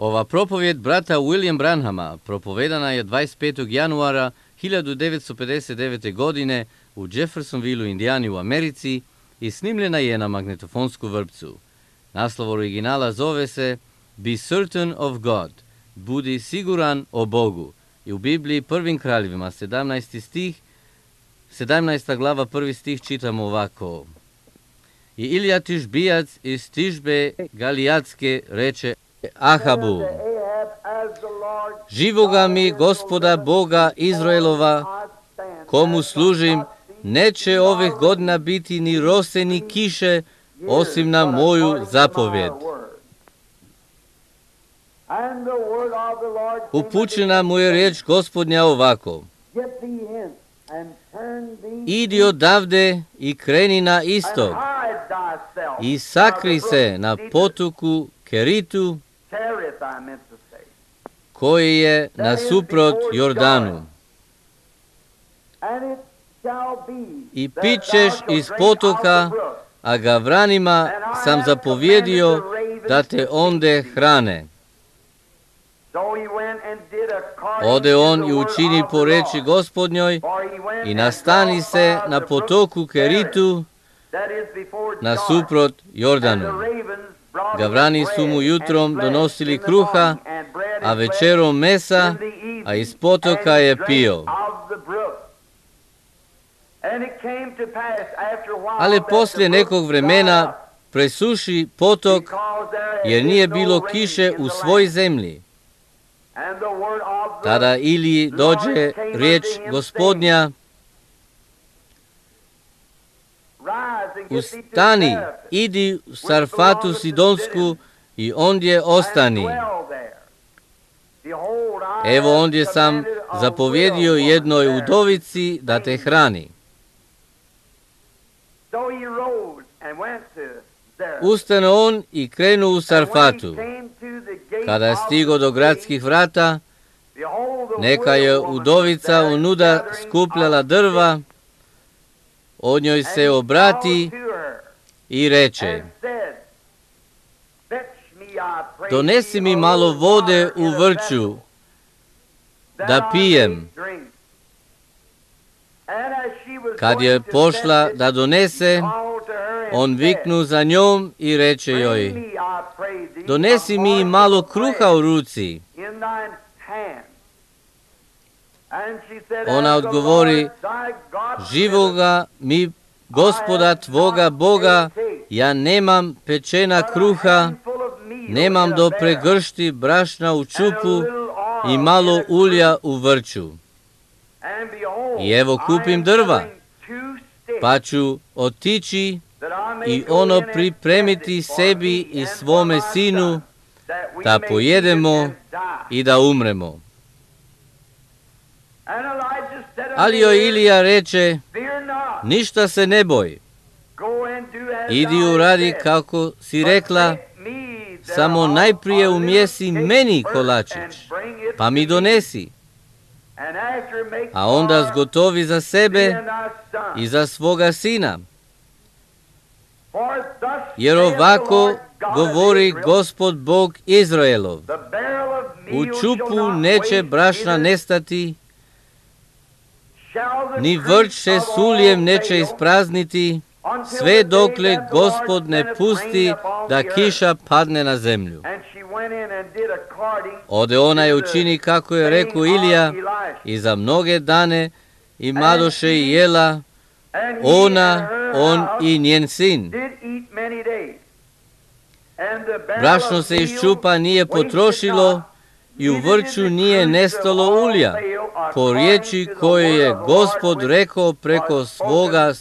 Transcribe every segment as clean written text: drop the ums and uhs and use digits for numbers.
Ova propovjed brata William Branhama propovedana je 25. januara 1959. godine u Jeffersonville, Indijani u Americi i snimljena je na magnetofonsku vrpcu. Naslov originala zove se Be Certain of God, budi siguran o Bogu. I u Bibliji Prvim kraljevima 17. glava 1. stih čitamo ovako. I Ilija Tišbijac iz Tišbe Galijatske reče Ahabu, živoga mi Gospoda Boga Izraelova, komu služim, neće ovih godina biti ni rose ni kiše, osim na moju zapovjed. Upućena mu je riječ Gospodnja ovako. Idi odavde i kreni na istok i sakri se na potoku Keritu, koji je nasuprot Jordanu. I pićeš iz potoka, a gavranima sam zapovjedio da te onde hrane. Ode on i učini po reči Gospodnjoj i nastani se na potoku Keritu nasuprot Jordanu. Gavrani su mu jutrom donosili kruha, a večerom mesa, a iz potoka je pio. Ali poslije nekog vremena presuši potok, jer nije bilo kiše u svoj zemlji. Tada Iliji dođe riječ Gospodnja, ustani, idi u Sarfatu Sidonsku i ondje ostani. Evo ondje sam zapovjedio jednoj udovici da te hrani. Ustane on i krenu u Sarfatu. Kada je stigo do gradskih vrata, neka je udovica unuda skupljala drva, od njoj se obrati i reče, donesi mi malo vode u vrču, da pijem. Kad je pošla da donese, on viknu za njom i reče joj, donesi mi malo kruha u ruci. Ona odgovori, živoga mi Gospoda tvoga Boga, ja nemam pečena kruha, nemam do pregršti brašna u čupu i malo ulja u vrču. I evo kupim drva, pa ću otići i ono pripremiti sebi i svome sinu, da pojedemo i da umremo. Ali joj Ilija reče, ništa se ne boj, idi uradi kako si rekla, samo najprije umjesi meni kolačić, pa mi donesi, a onda zgotovi za sebe i za svoga sina. Jer ovako govori Gospod Bog Izraelov, u čupu neće brašna nestati, ni vrč se s uljem neće isprazniti, sve dokle Gospod ne pusti da kiša padne na zemlju. Ode ona i učini kako je rekao Ilija i za mnoge dane imadoše i jela, ona, on i njen sin. Brašno se iz čupa nije potrošilo i u vrču nije nestalo ulja, po riječi koje je Gospod rekao preko svoga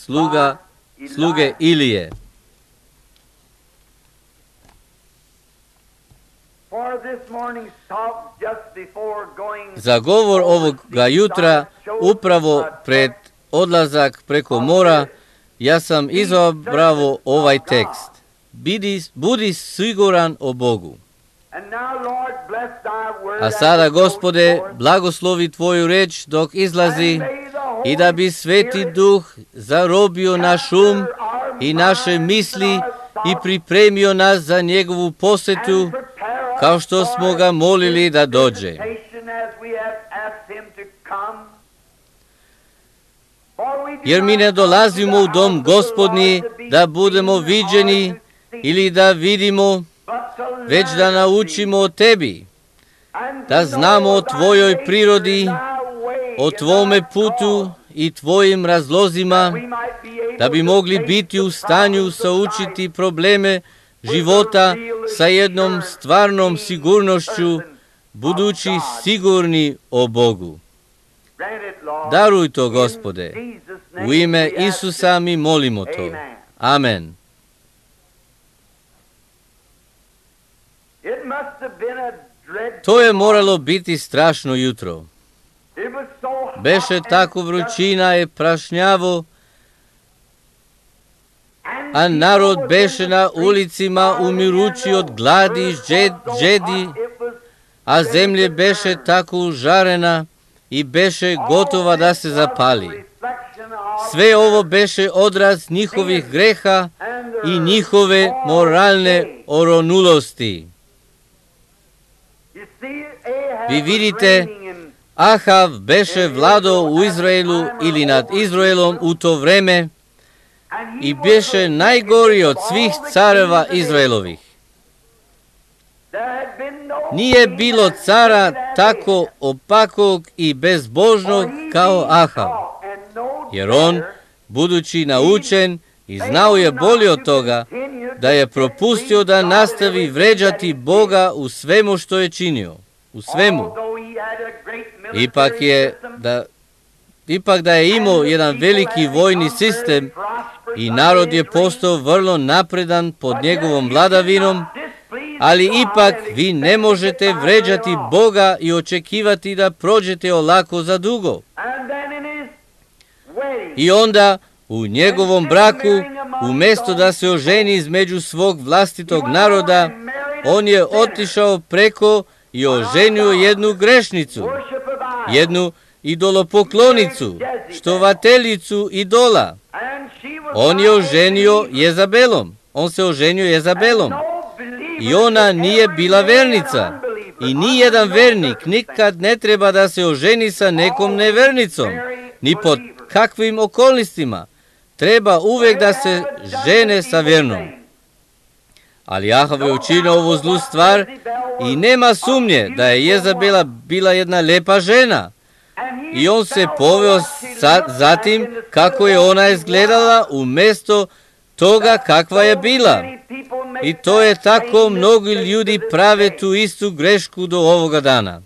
sluge Ilije. Za govor ovoga jutra, upravo pred odlazak preko mora, ja sam izabrao ovaj tekst. Budi siguran o Bogu. A sada, Gospode, blagoslovi tvoju reč dok izlazi i da bi Sveti Duh zarobio naš um i naše misli i pripremio nas za njegovu posjetu kao što smo ga molili da dođe. Jer mi ne dolazimo u dom Gospodnji da budemo viđeni ili da vidimo, već da naučimo o tebi, da znamo o tvojoj prirodi, o tvome putu i tvojim razlozima, da bi mogli biti u stanju saučiti probleme života sa jednom stvarnom sigurnošću, budući sigurni o Bogu. Daruj to, Gospode. U ime Isusa mi molimo to. Amen. To je moralo biti strašno jutro. Beše tako vrućina i prašnjavo, a narod beše na ulicima umirući od gladi i žedi, a zemlje beše tako užarena i beše gotova da se zapali. Sve ovo beše odraz njihovih greha i njihove moralne oronulosti. Vi vidite, Ahav beše vladao u Izraelu ili nad Izraelom u to vreme i beše najgori od svih careva Izraelovih. Nije bilo cara tako opakog i bezbožnog kao Ahav, jer on, budući naučen i znao je bolje od toga, da je propustio da nastavi vređati Boga u svemu što je činio, u svemu. Ipak da je imao jedan veliki vojni sistem i narod je postao vrlo napredan pod njegovom vladavinom, ali ipak vi ne možete vređati Boga i očekivati da prođete olako za dugo. I onda u njegovom braku, umjesto da se oženi između svog vlastitog naroda, on je otišao preko i oženio jednu grešnicu, jednu idolopoklonicu, štovateljicu idola. On je oženio Jezabelom. On se oženio Jezabelom. I ona nije bila vernica. I nijedan vernik nikad ne treba da se oženi sa nekom nevernicom, ni pod kakvim okolnostima. Treba uvijek da se žene sa vernom. Ali Ahav je učinio ovu zlu stvar i nema sumnje da je Jezabela bila jedna lepa žena. I on se poveo zatim kako je ona izgledala umjesto toga kakva je bila. I to je tako, mnogi ljudi prave tu istu grešku do ovoga dana.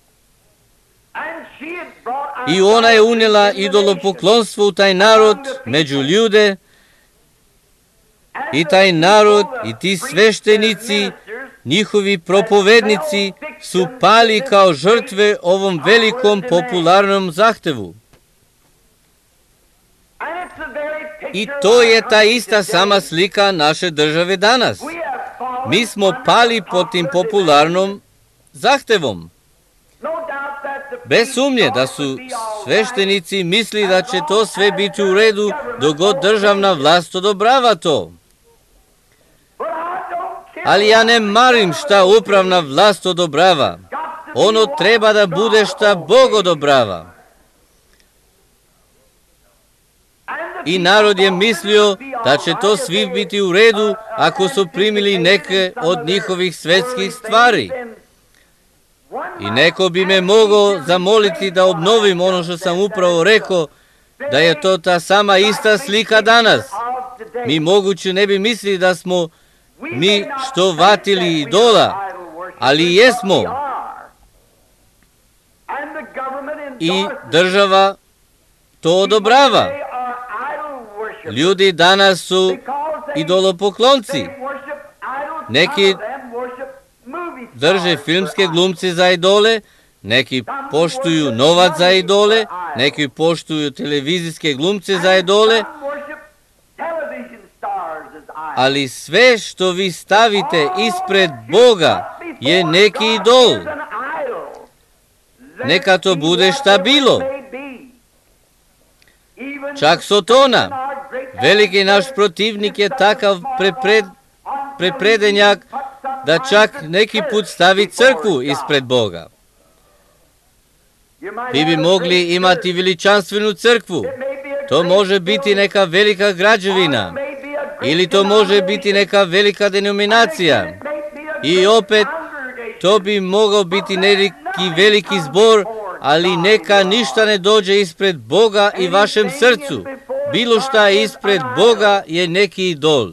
I ona je unijela idolopoklonstvo u taj narod, među ljude, i taj narod i ti sveštenici, njihovi propovednici su pali kao žrtve ovom velikom popularnom zahtevu. I to je ta ista sama slika naše države danas. Mi smo pali pod tim popularnom zahtevom. Bez sumnje da su sveštenici misli da će to sve biti u redu dok god državna vlast odobrava to. Ali ja ne marim šta upravna vlast odobrava. Ono treba da bude šta Bog odobrava. I narod je mislio da će to svi biti u redu ako su primili neke od njihovih svetskih stvari. I neko bi me mogao zamoliti da obnovim ono što sam upravo rekao, da je to ta sama ista slika danas. Mi moguće ne bi mislili da smo mi štovatili idola, ali jesmo. I država to odobrava. Ljudi danas su idolopoklonci. Neki drže filmske glumce za idole, neki poštuju novac za idole, neki poštuju televizijske glumce za idole, ali sve što vi stavite ispred Boga je neki idol. Neka to bude šta bilo. Čak Sotona, veliki naš protivnik, je takav prepredenjak da čak neki put stavi crkvu ispred Boga. Vi bi mogli imati veličanstvenu crkvu. To može biti neka velika građevina. Ili to može biti neka velika denominacija. I opet, to bi mogao biti neki veliki zbor, ali neka ništa ne dođe ispred Boga i vašem srcu. Bilo šta ispred Boga je neki idol.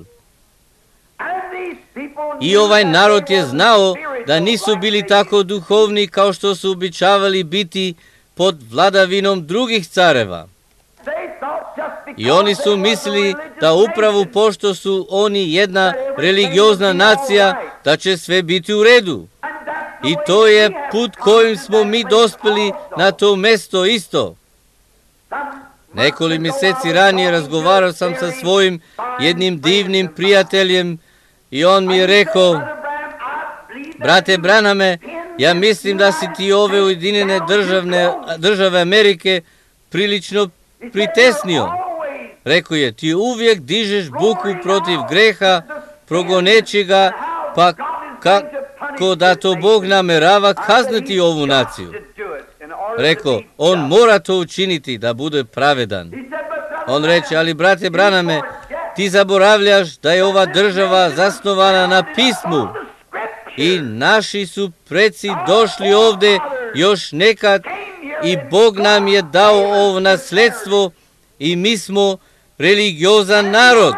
I ovaj narod je znao da nisu bili tako duhovni kao što su običavali biti pod vladavinom drugih careva. I oni su mislili da upravo pošto su oni jedna religiozna nacija, da će sve biti u redu. I to je put kojim smo mi dospeli na to mesto isto. Nekoliko mjeseci ranije razgovarao sam sa svojim jednim divnim prijateljem i on mi je rekao: brate Branhame, ja mislim da si ti ove Ujedinjene države Amerike prilično pritesnio. Rekao je, ti uvijek dižeš buku protiv greha, progoneći ga, pa kako da to Bog namerava kazniti ovu naciju. Rekao, on mora to učiniti da bude pravedan. On reče, ali brate Branhame, ti zaboravljaš da je ova država zasnovana na pismu i naši su preci došli ovdje još nekad i Bog nam je dao ovo nasledstvo i mi smo religiozan narod.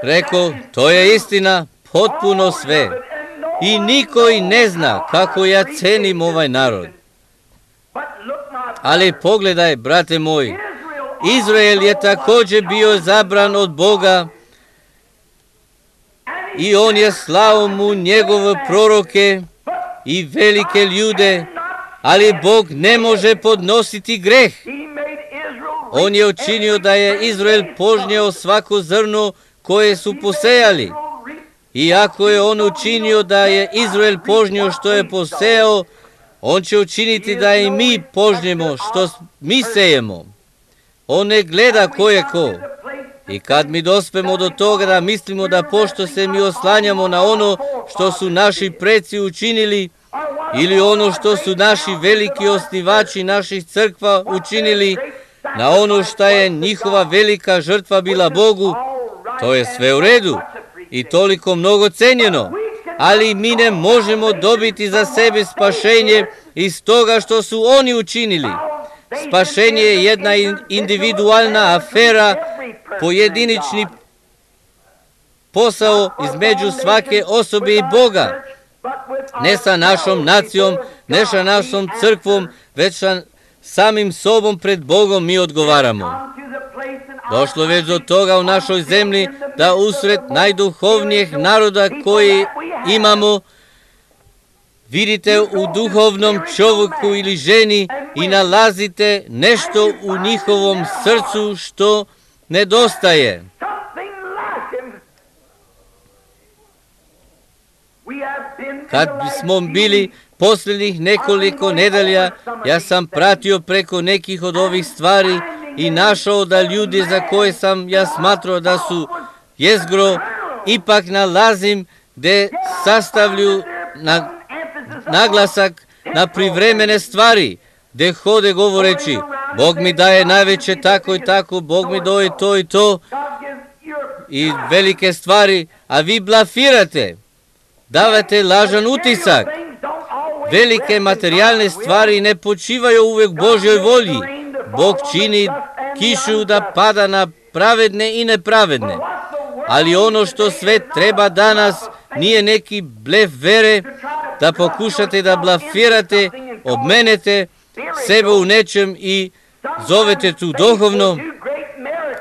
Rekao, to je istina, potpuno sve. I niko i ne zna kako ja cenim ovaj narod. Ali pogledaj, brate moj, Izrael je također bio zabran od Boga i on je slao mu njegove proroke i velike ljude, ali Bog ne može podnositi greh. On je učinio da je Izrael požnjeo svako zrno koje su posejali. I ako je on učinio da je Izrael požnjeo što je posejao, on će učiniti da i mi požnjemo što mi sejemo. On ne gleda ko je ko. I kad mi dospemo do toga da mislimo da pošto se mi oslanjamo na ono što su naši preci učinili, ili ono što su naši veliki osnivači naših crkva učinili, na ono što je njihova velika žrtva bila Bogu, to je sve u redu i toliko mnogo cenjeno, ali mi ne možemo dobiti za sebe spašenje iz toga što su oni učinili. Spašenje je jedna individualna afera, pojedinični posao između svake osobe i Boga. Ne sa našom nacijom, ne sa našom crkvom, već sa samim sobom pred Bogom mi odgovaramo. Došlo već do toga u našoj zemlji da usred najduhovnijeg naroda koji imamo, vidite u duhovnom čovjeku ili ženi i nalazite nešto u njihovom srcu što nedostaje. Kad smo bili posljednjih nekoliko nedelja, ja sam pratio preko nekih od ovih stvari i našao da ljudi za koje sam ja smatrao da su jezgro, ipak nalazim gdje sastavlju naglasak na privremene stvari, gdje hode govoreći, Bog mi daje najveće tako i tako, Bog mi daje to i to, i velike stvari, a vi blafirate, davate lažan utisak. Velike materijalne stvari ne počivaju uvijek Božjoj volji. Bog čini kišu da pada na pravedne i nepravedne. Ali ono što sve treba danas nije neki blef vere, da pokušate da blafirate, obmenete sebe u nečem i zovete tu duhovno.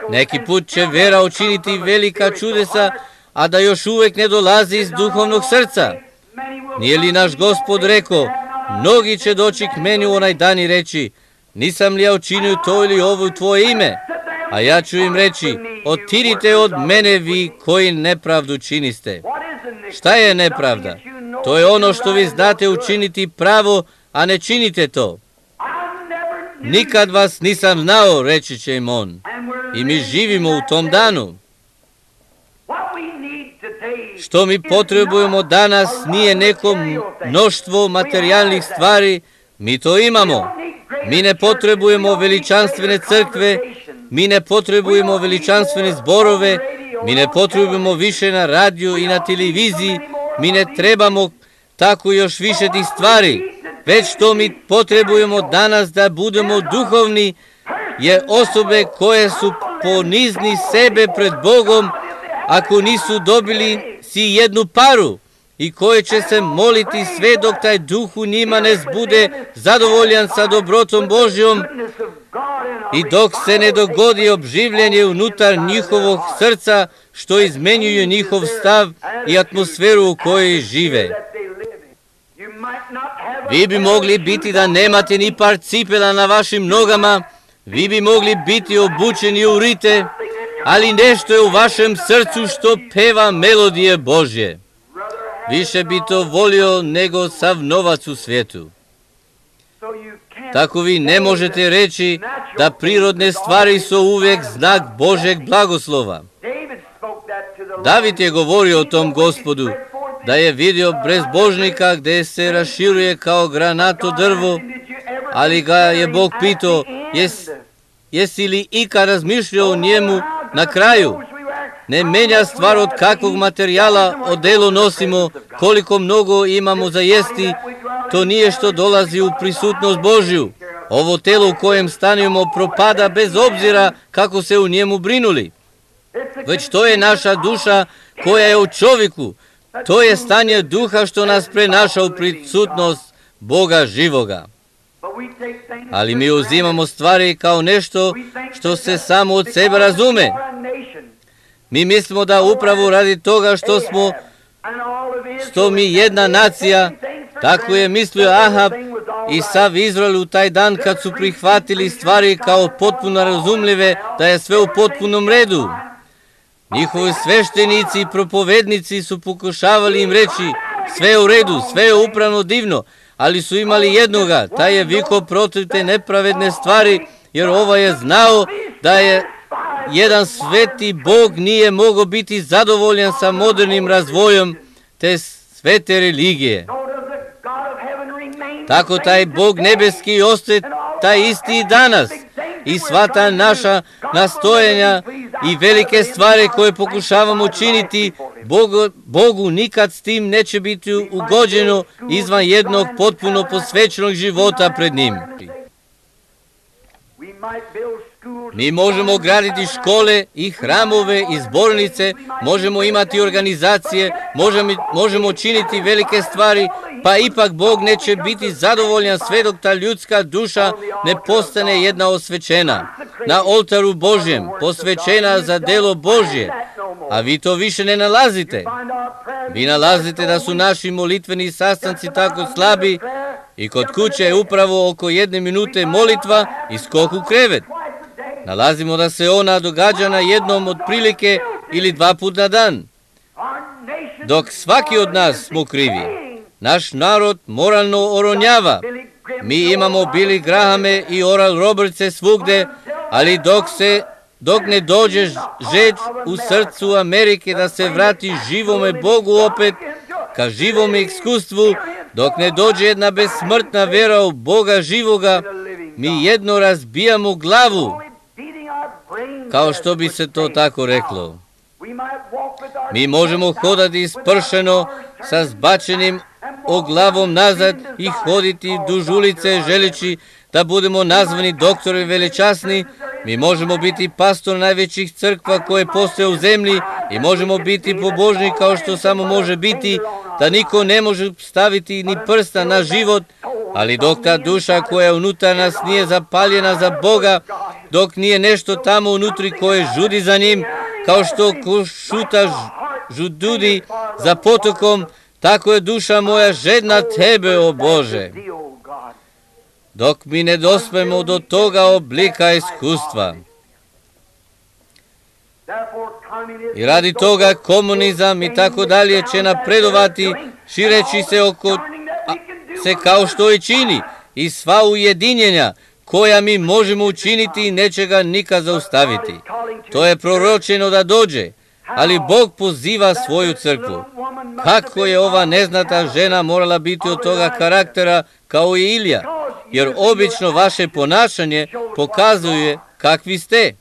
Neki put će vera učiniti velika čudesa, a da još uvijek ne dolazi iz duhovnog srca. Nije li naš Gospod rekao, mnogi će doći k meni u onaj dan i reći, nisam li ja učinio to ili ovo u tvoje ime? A ja ću im reći, otidite od mene vi koji nepravdu činiste. Šta je nepravda? To je ono što vi znate učiniti pravo, a ne činite to. Nikad vas nisam znao, reći će im on. I mi živimo u tom danu. Što mi potrebujemo danas nije neko mnoštvo materijalnih stvari, mi to imamo. Mi ne potrebujemo veličanstvene crkve, mi ne potrebujemo veličanstvene zborove, mi ne potrebujemo više na radiju i na televiziji, mi ne trebamo tako još više tih stvari. Već što mi potrebujemo danas da budemo duhovni je osobe koje su ponizni sebe pred Bogom ako nisu dobili si jednu paru i koje će se moliti sve dok taj duh u njima ne bude zadovoljan sa dobrotom Božjom i dok se ne dogodi obživljenje unutar njihovog srca što izmenjuje njihov stav i atmosferu u kojoj žive. Vi bi mogli biti da nemate ni par cipela na vašim nogama, vi bi mogli biti obučeni u rite, ali nešto je u vašem srcu što peva melodije Božje. Više bi to volio nego sav novac u svijetu. Tako vi ne možete reći da prirodne stvari su uvijek znak Božeg blagoslova. David je govorio o tom Gospodu, da je vidio bezbožnika gdje se raširuje kao granato drvo, ali ga je Bog pitao, jesi li ikad razmišljao o njemu na kraju? Ne menja stvar od kakvog materijala odelo nosimo, koliko mnogo imamo za jesti, to nije što dolazi u prisutnost Božju. Ovo telo u kojem stanujemo propada bez obzira kako se u njemu brinuli. Već to je naša duša koja je u čovjeku. To je stanje duha što nas prenaša u prisutnost Boga živoga. Ali mi uzimamo stvari kao nešto što se samo od sebe razume. Mi mislimo da upravo radi toga što mi jedna nacija, tako je mislio Ahab i sav Izrael u taj dan kad su prihvatili stvari kao potpuno razumljive, da je sve u potpunom redu. Njihovi sveštenici i propovednici su pokušavali im reći, sve je u redu, sve je upravno divno, ali su imali jednoga, taj je vikao protiv te nepravedne stvari, jer ovaj je znao da je jedan sveti Bog nije mogao biti zadovoljan sa modernim razvojem te svete religije. Tako taj Bog nebeski ostaje taj isti i danas. I sva ta naša nastojanja i velike stvari koje pokušavamo činiti, Bogu nikad s tim neće biti ugođeno izvan jednog potpuno posvećenog života pred njim. Mi možemo graditi škole i hramove i zbornice, možemo imati organizacije, možemo činiti velike stvari, pa ipak Bog neće biti zadovoljan sve dok ta ljudska duša ne postane jedna osvećena, na oltaru Božjem, posvećena za delo Božje, a vi to više ne nalazite. Vi nalazite da su naši molitveni sastanci tako slabi i kod kuće je upravo oko 1 minute molitva i skok u krevet. Nalazimo da se ona događa na jednom otprilike ili 2 puta na dan. Dok svaki od nas smo krivi. Naš narod moralno oronjava. Mi imamo Billy Grahame i Oral Robertse svugde, ali dok ne dođe žeđ u srcu Amerike da se vrati živome Bogu opet, ka živome iskustvu, dok ne dođe jedna besmrtna vera u Boga živoga, mi jedno razbijamo glavu, kao što bi se to tako reklo. Mi možemo hodati ispršeno sa zbačenim glavom nazad i hoditi duž ulice želeći da budemo nazvani doktori veličasni. Mi možemo biti pastor najvećih crkva koje postoje u zemlji i možemo biti pobožni kao što samo može biti, da niko ne može staviti ni prsta na život, ali dok ta duša koja unutar nas nije zapaljena za Boga, dok nije nešto tamo unutri koje žudi za njim, kao što šuta žududi za potokom, tako je duša moja žedna tebe, o Bože. Dok mi ne dospemo do toga oblika iskustva. I radi toga komunizam i tako dalje će napredovati, šireći se kao što i čini, i sva ujedinjenja koja mi možemo učiniti neće ga nikad zaustaviti. To je proročeno da dođe, Ali Bog poziva svoju crkvu. Kako je ova neznata žena morala biti od toga karaktera kao i Ilija, jer obično vaše ponašanje pokazuje kakvi ste.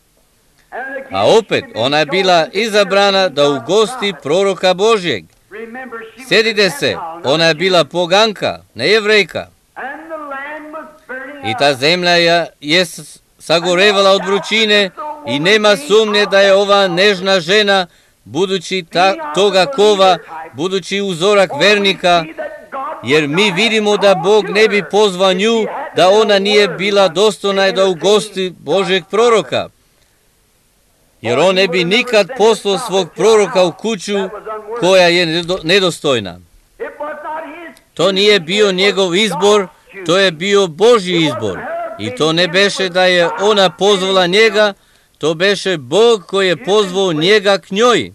A opet, ona je bila izabrana da ugosti proroka Božjeg. Sjetite se, ona je bila poganka, ne Jevrejka. I ta zemlja je sagorevala od vrućine i nema sumnje da je ova nežna žena, budući toga kova, budući uzorak vernika, jer mi vidimo da Bog ne bi pozvao nju, da ona nije bila dostojna da ugosti Božjeg proroka. Jer on ne bi nikad poslao svog proroka u kuću koja je nedostojna. To nije bio njegov izbor, to je bio Božji izbor. I to ne beše da je ona pozvala njega, to beše Bog koji je pozvao njega k njoj.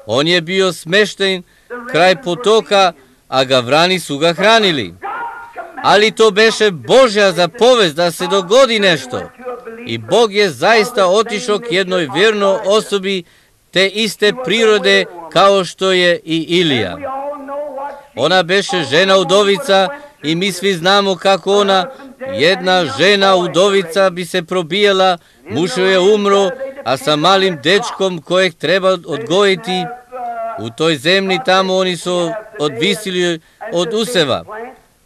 On je bio smešten kraj potoka, a gavrani su ga hranili. Ali to beše Božja zapovest da se dogodi nešto. I Bog je zaista otišao k jednoj vjernoj osobi te iste prirode kao što je i Ilija. Ona beše žena udovica i mi svi znamo kako ona, jedna žena udovica bi se probijala, muž je umro, a sa malim dečkom kojeg treba odgojiti, u toj zemlji tamo oni su odvisili od useva.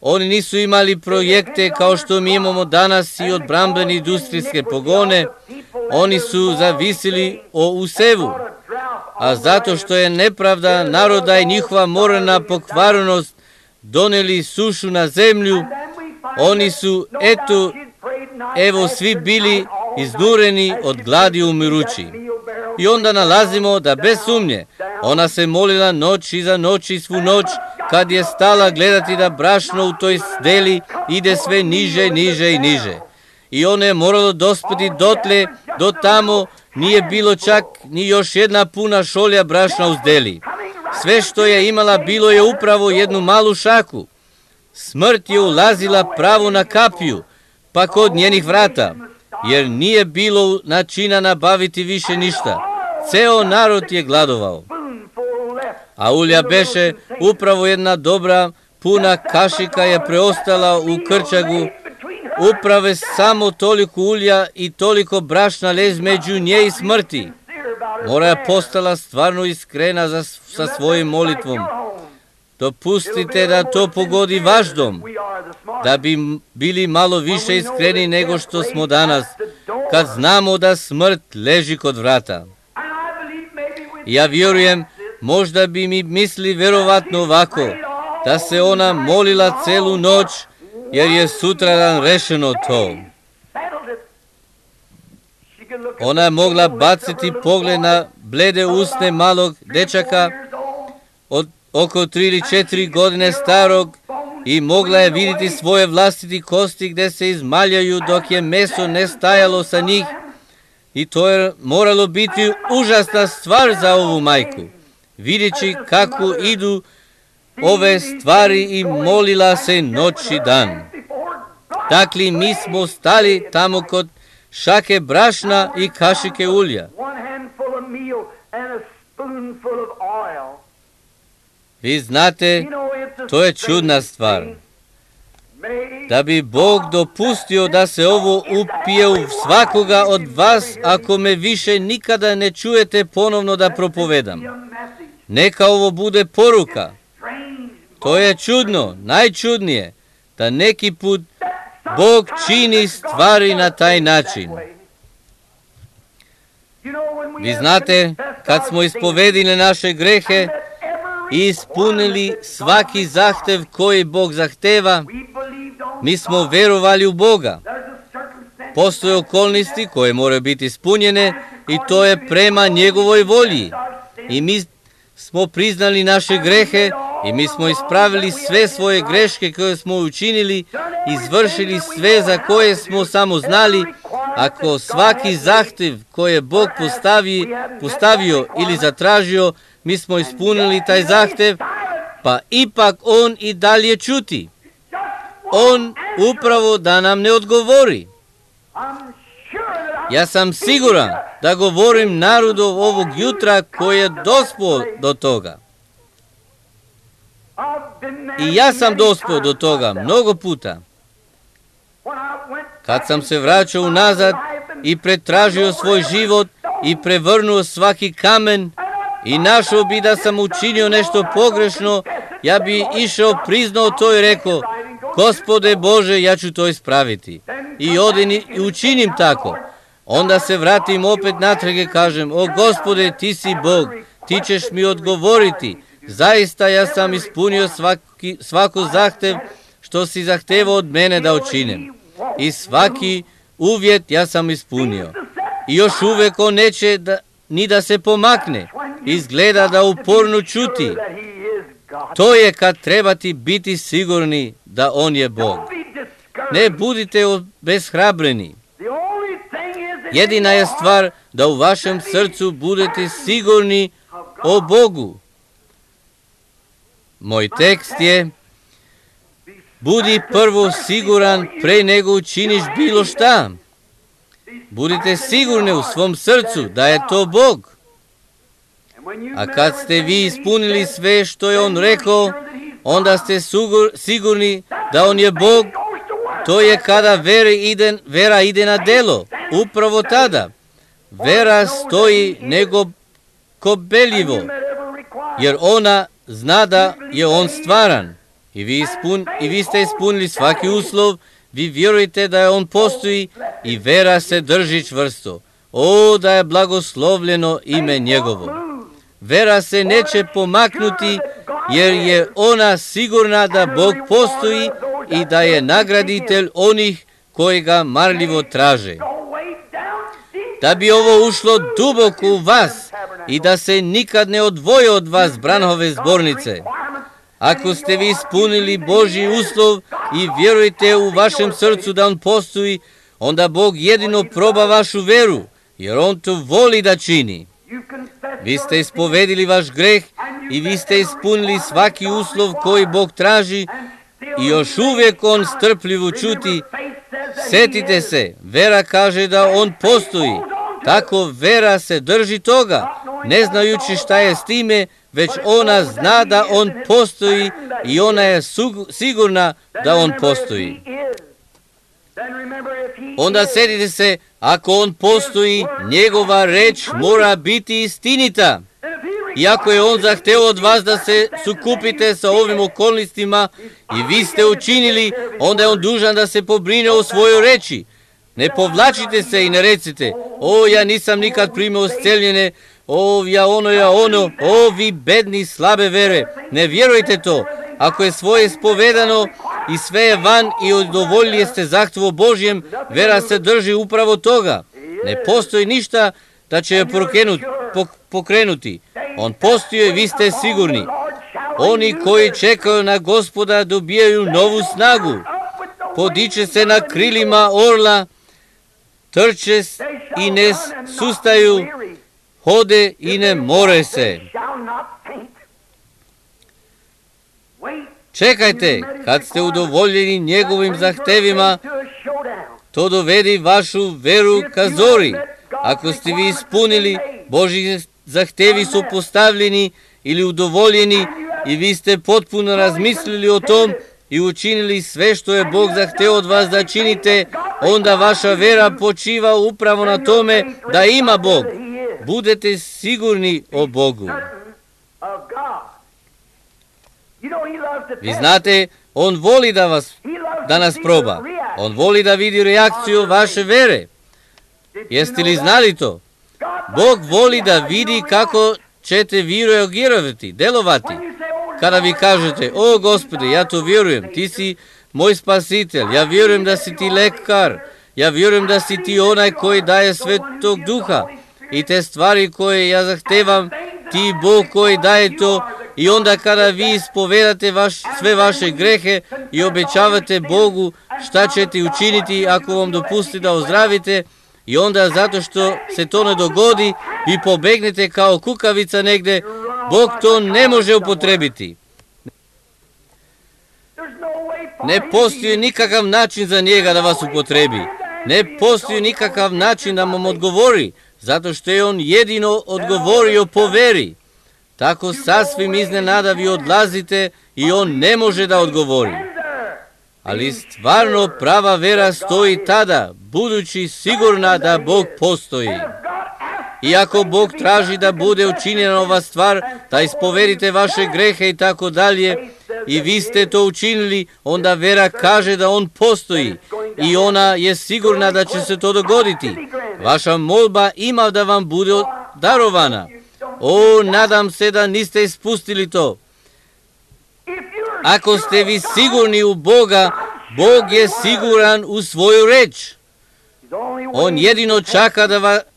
Oni nisu imali projekte kao što mi imamo danas i od brambene industrijske pogone. Oni su zavisili o usevu. A zato što je nepravda naroda i njihova moralna pokvarenost doneli sušu na zemlju, oni su, evo svi bili iznureni od gladi umirući. I onda nalazimo da bez sumnje ona se molila noć iza noći svu noć, kad je stala gledati da brašno u toj zdeli ide sve niže, niže i niže. I ona je moralo dospeti dotle, do tamo nije bilo čak ni još jedna puna šolja brašna u zdeli. Sve što je imala bilo je upravo jednu malu šaku. Smrt je ulazila pravo na kapiju, pa kod njenih vrata, jer nije bilo načina nabaviti više ništa. Ceo narod je gladovao. A ulja beše upravo jedna dobra puna kašika je preostala u krčagu, uprave samo toliko ulja i toliko brašna lez među nje i smrti. Mora je postala stvarno iskrena sa svojim molitvom. Dopustite da to pogodi vaš dom, da bi bili malo više iskreni nego što smo danas, kad znamo da smrt leži kod vrata. Ja vjerujem, možda bi mi misli verovatno ovako, da se ona molila celu noć, jer je sutradan rešeno to. Ona je mogla baciti pogled na blede usne malog dečaka od oko 3 ili 4 godine starog i mogla je vidjeti svoje vlastiti kosti gdje se izmaljaju dok je meso ne stajalo sa njih. I to je moralo biti užasna stvar za ovu majku, vidjeći kako idu ove stvari i molila se noć i dan. Dakle, mi smo stali tamo kod šake brašna i kašike ulja. Vi znate, to je čudna stvar. Da bi Bog dopustio da se ovo upije u svakoga od vas, ako me više nikada ne čujete ponovno da propovedam. Neka ovo bude poruka. To je čudno, najčudnije, da neki put Bog čini stvari na taj način. Vi znate, kad smo ispovedili naše grehe i ispunili svaki zahtev koji Bog zahteva, mi smo verovali u Boga. Postoje okolnosti koje moraju biti ispunjene i to je prema njegovoj volji. I mi smo priznali naše grehe i mi smo ispravili sve svoje greške koje smo učinili, izvršili sve za koje smo samo znali. Ako svaki zahtev koji je Bog postavio ili zatražio, mi smo ispunili taj zahtev, pa ipak on i dalje čuti. On upravo da nam ne odgovori. Ja sam siguran da govorim narodu ovog jutra koji je dospio do toga. I ja sam dospio do toga mnogo puta. Kad sam se vraćao unazad i pretražio svoj život i prevrnuo svaki kamen i našao bi da sam učinio nešto pogrešno, ja bi išao, priznao to i rekao: Gospode Bože, ja ću to ispraviti. I odem i učinim tako. Onda se vratim opet natrag i kažem: O Gospode, ti si Bog, ti ćeš mi odgovoriti. Zaista ja sam ispunio svako zahtev što si zahtevao od mene da učinim. I svaki uvjet ja sam ispunio. I još uvijek on neće ni da se pomakne. Izgleda da uporno čuti. To je kad trebate biti sigurni da on je Bog. Ne budite obeshrabreni. Jedina je stvar da u vašem srcu budete sigurni o Bogu. Moj tekst je: budi prvo siguran pre nego učiniš bilo šta. Budite sigurni u svom srcu da je to Bog. A kad ste vi ispunili sve što je on rekao, onda ste sigurni da on je Bog. To je kada vera ide na delo. Upravo tada. Vera stoji nego kobeljivo, jer ona zna da je on stvaran. I vi ste ispunili svaki uslov, vi vjerujete da je on postoji i vera se drži čvrsto. O, da je blagoslovljeno ime njegovo. Vera se neće pomaknuti, jer je ona sigurna da Bog postoji i da je nagraditelj onih koji ga marljivo traže. Da bi ovo ušlo duboko u vas i da se nikad ne odvoje od vas Branhove zbornice. Ako ste vi ispunili Božji uslov i vjerujete u vašem srcu da on postoji, onda Bog jedino proba vašu veru, jer on to voli da čini. Vi ste ispovedili vaš greh i vi ste ispunili svaki uslov koji Bog traži i još uvijek on strpljivo čuti. Sjetite se, vera kaže da on postoji. Tako vera se drži toga, ne znajući šta je s time, već ona zna da on postoji i ona je sigurna da on postoji. Onda sjetite se, ako on postoji, njegova reč mora biti istinita. I ako je on zahteo od vas da se sukupite sa ovim okolnostima i vi ste učinili, onda je on dužan da se pobrine o svojoj reči. Ne povlačite se i ne recite: o, ja nisam nikad primio isceljene, o, ja ono, o, vi bedni slabe vere. Ne vjerujte to. Ako je svoje spovedano i sve je van i udovoljili ste zahtjevu Božjem, vera se drži upravo toga. Ne postoji ništa da će je pokrenuti. On postoji i vi ste sigurni. Oni koji čekaju na Gospoda dobijaju novu snagu. Podiče se na krilima orla, trče i ne sustaju, hode i ne more se. Čekajte, kad ste udovoljeni njegovim zahtevima, to dovedi vašu veru ka zori. Ako ste vi ispunili, Božji zahtevi su postavljeni ili udovoljeni i vi ste potpuno razmislili o tom i učinili sve što je Bog zahteo od vas da činite, onda vaša vera počiva upravo na tome da ima Bog. Budete sigurni o Bogu. Vi znate, on voli da nas proba. On voli da vidi reakciju vaše vere. Jeste li znali to? Bog voli da vidi kako ćete vi reagirati, delovati. Kada vi kažete: o Gospode, ja to vjerujem, ti si moj spasitelj, ja vjerujem da si ti lekar, ja vjerujem da si ti onaj koji daje Svetog Duha i te stvari koje ja zahtevam, ti Bog koji daje to. I onda kada vi ispovedate sve vaše grehe i obećavate Bogu šta ćete učiniti ako vam dopusti da ozdravite, i onda zato što se to ne dogodi, vi pobegnete kao kukavica negde, Bog to ne može upotrebiti. Ne postoji nikakav način za njega da vas upotrebi. Ne postoji nikakav način da vam odgovori. zato što je on jedino odgovorio po veri. Tako sasvim iznenada vi odlazite i on ne može da odgovori. Ali stvarno prava vera stoji tada, budući sigurna da Bog postoji. Iako Bog traži da bude učinjena ova stvar, da ispovedite vaše grehe i tako dalje, i vi ste to učinili, onda vera kaže da on postoji i ona je sigurna da će se to dogoditi. Vaša molba ima da vam bude darovana. O, nadam se da niste ispustili to. Ako ste vi sigurni u Boga, Bog je siguran u svoju reč. On jedino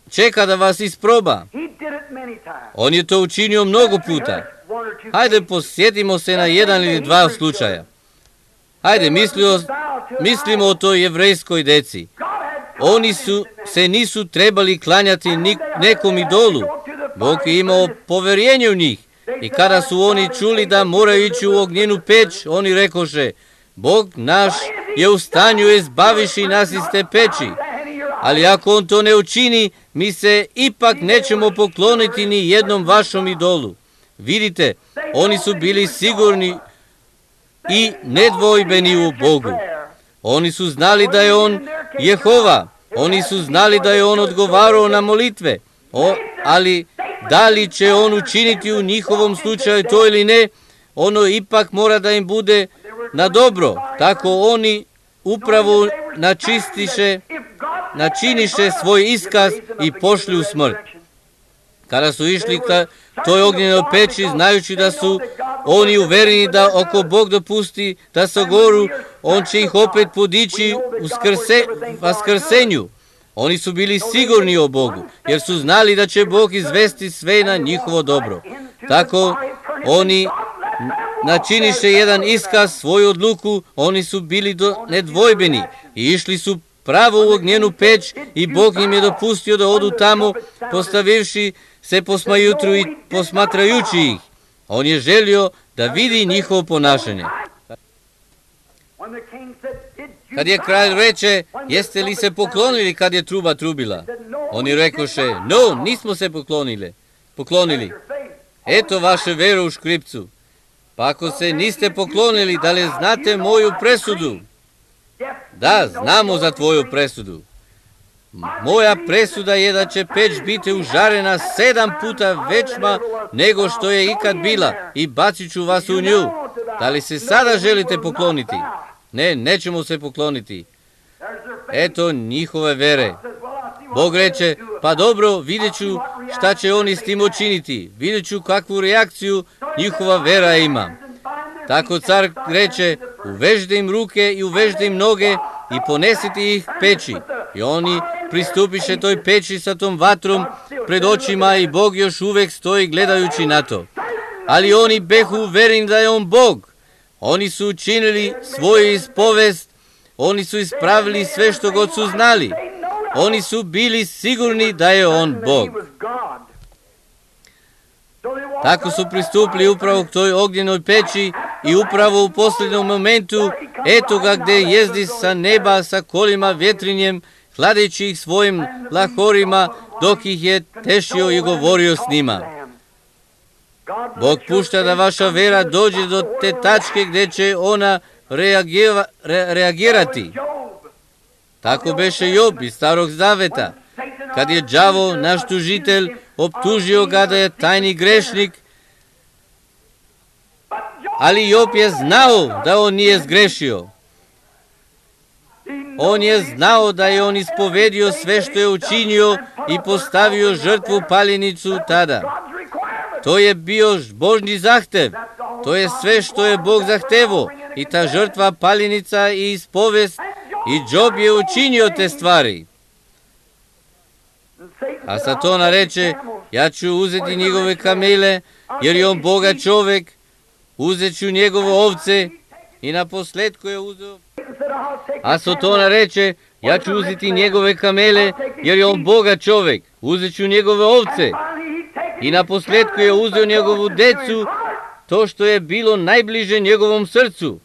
čeka da vas isproba. On je to učinio mnogo puta. Hajde, posjetimo se na jedan ili dva slučaja. Hajde, mislimo o toj jevrejskoj deci. Oni se nisu trebali klanjati nekom idolu. Bog je imao poverenje u njih. I kada su oni čuli da moraju ići u ognjenu peć, oni rekoše, Bog naš je u stanju izbaviši nas iz te peći. Ali ako on to ne učini, mi se ipak nećemo pokloniti ni jednom vašom idolu. Vidite, oni su bili sigurni i nedvojbeni u Bogu. Oni su znali da je on Jehova. Oni su znali da je on odgovarao na molitve. Ali da li će on učiniti u njihovom slučaju to ili ne, ono ipak mora da im bude na dobro. Tako oni upravo načiniše svoj iskaz i pošli u smrt. Kada su išli ka toj ognjenoj peći, znajući da su oni uvereni da ako Bog dopusti da se goru, on će ih opet podići u vaskrsenju. Oni su bili sigurni o Bogu, jer su znali da će Bog izvesti sve na njihovo dobro. Tako oni načiniše jedan iskaz, svoju odluku, oni su bili nedvojbeni i išli su pravo u ognjenu peć i Bog im je dopustio da odu tamo, postavivši se posma jutru i posmatrajući ih. On je želio da vidi njihovo ponašanje. Kad je kralj reče, jeste li se poklonili kad je truba trubila? Oni rekoše, no, nismo se poklonili. Eto vaše vere u škripcu. Pa ako se niste poklonili, da li znate moju presudu? Da, znamo za tvoju presudu. Moja presuda je da će peć biti užarena 7 puta većma nego što je ikad bila i bacit ću vas u nju. Da li se sada želite pokloniti? Ne, nećemo se pokloniti. Eto njihove vere. Bog reče, pa dobro, vidjet ću šta će oni s tim učiniti. Vidjet ću kakvu reakciju njihova vera ima. Tako car reče, uvežite im ruke i uvežite im noge i ponesite ih peći. I oni pristupiše toj peći sa tom vatrom pred očima i Bog još uvek stoji gledajući na to. Ali oni behu uvereni da je on Bog. Oni su učinili svoju ispovest, oni su ispravili sve što god su znali. Oni su bili sigurni da je on Bog. Tako su pristupili upravo k toj ognjenoj peći i upravo u posljednom momentu, eto ga gde jezdi sa neba sa kolima vjetrinjem, hladeći ih svojim lahorima, dok ih je tešio i govorio s njima. Bog pušta da vaša vera dođe do te tačke gde će ona reagirati. Tako beše Job iz Starog Zaveta, kad je đavo, naš tužitelj, optužio ga da je tajni grešnik, ali Job je znao da on nije zgrešio. On je znao da je on ispovedio sve što je učinio i postavio žrtvu paljenicu tada. To je bio Božji zahtev. To je sve što je Bog zahtevo. I ta žrtva paljenica i ispovest. I Job je učinio te stvari. A Satona reče, ja ću uzeti njegove kamele, jer je on Boga čovek. Uzet ću njegove ovce. I na posledku je uzeo. A Satona reče, ja ću uzeti njegove kamele, jer je on Boga čovek. Uzet ću njegove ovce. I na posledku je uzeo njegovu decu, to što je bilo najbliže njegovom srcu.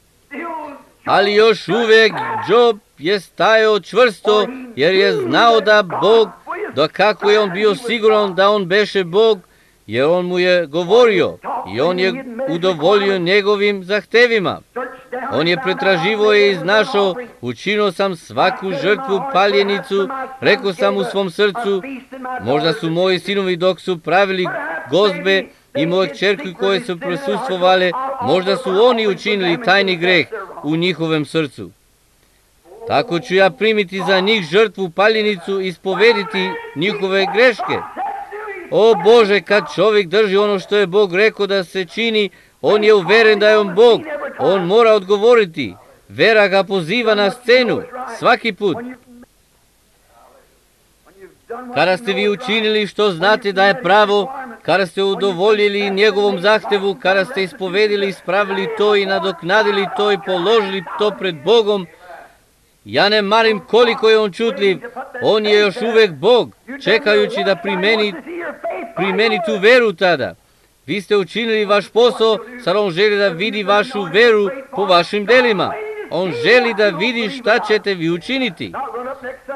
Ali još uvek Job je stajao čvrsto, jer je znao da Bog da kako je on bio siguran da on beše Bog, jer on mu je govorio i on je udovoljio njegovim zahtevima. On je pretraživo i iznašao, učinio sam svaku žrtvu paljenicu, rekao sam u svom srcu, možda su moji sinovi dok su pravili gozbe i moje kćerke koje su prisustvovale, možda su oni učinili tajni greh u njihovem srcu. Tako ću ja primiti za njih žrtvu paljenicu i ispovediti njihove greške. O Bože, kad čovjek drži ono što je Bog rekao da se čini, on je uveren da je on Bog. On mora odgovoriti. Vera ga poziva na scenu svaki put. Kada ste vi učinili što znate da je pravo, kada ste udovoljili njegovom zahtevu, kada ste ispovedili, ispravili to i nadoknadili to i položili to pred Bogom, ja ne marim koliko je on čutljiv, on je još uvek Bog, čekajući da primeni tu veru tada. Vi ste učinili vaš posao, sad on želi da vidi vašu veru po vašim delima. On želi da vidi šta ćete vi učiniti.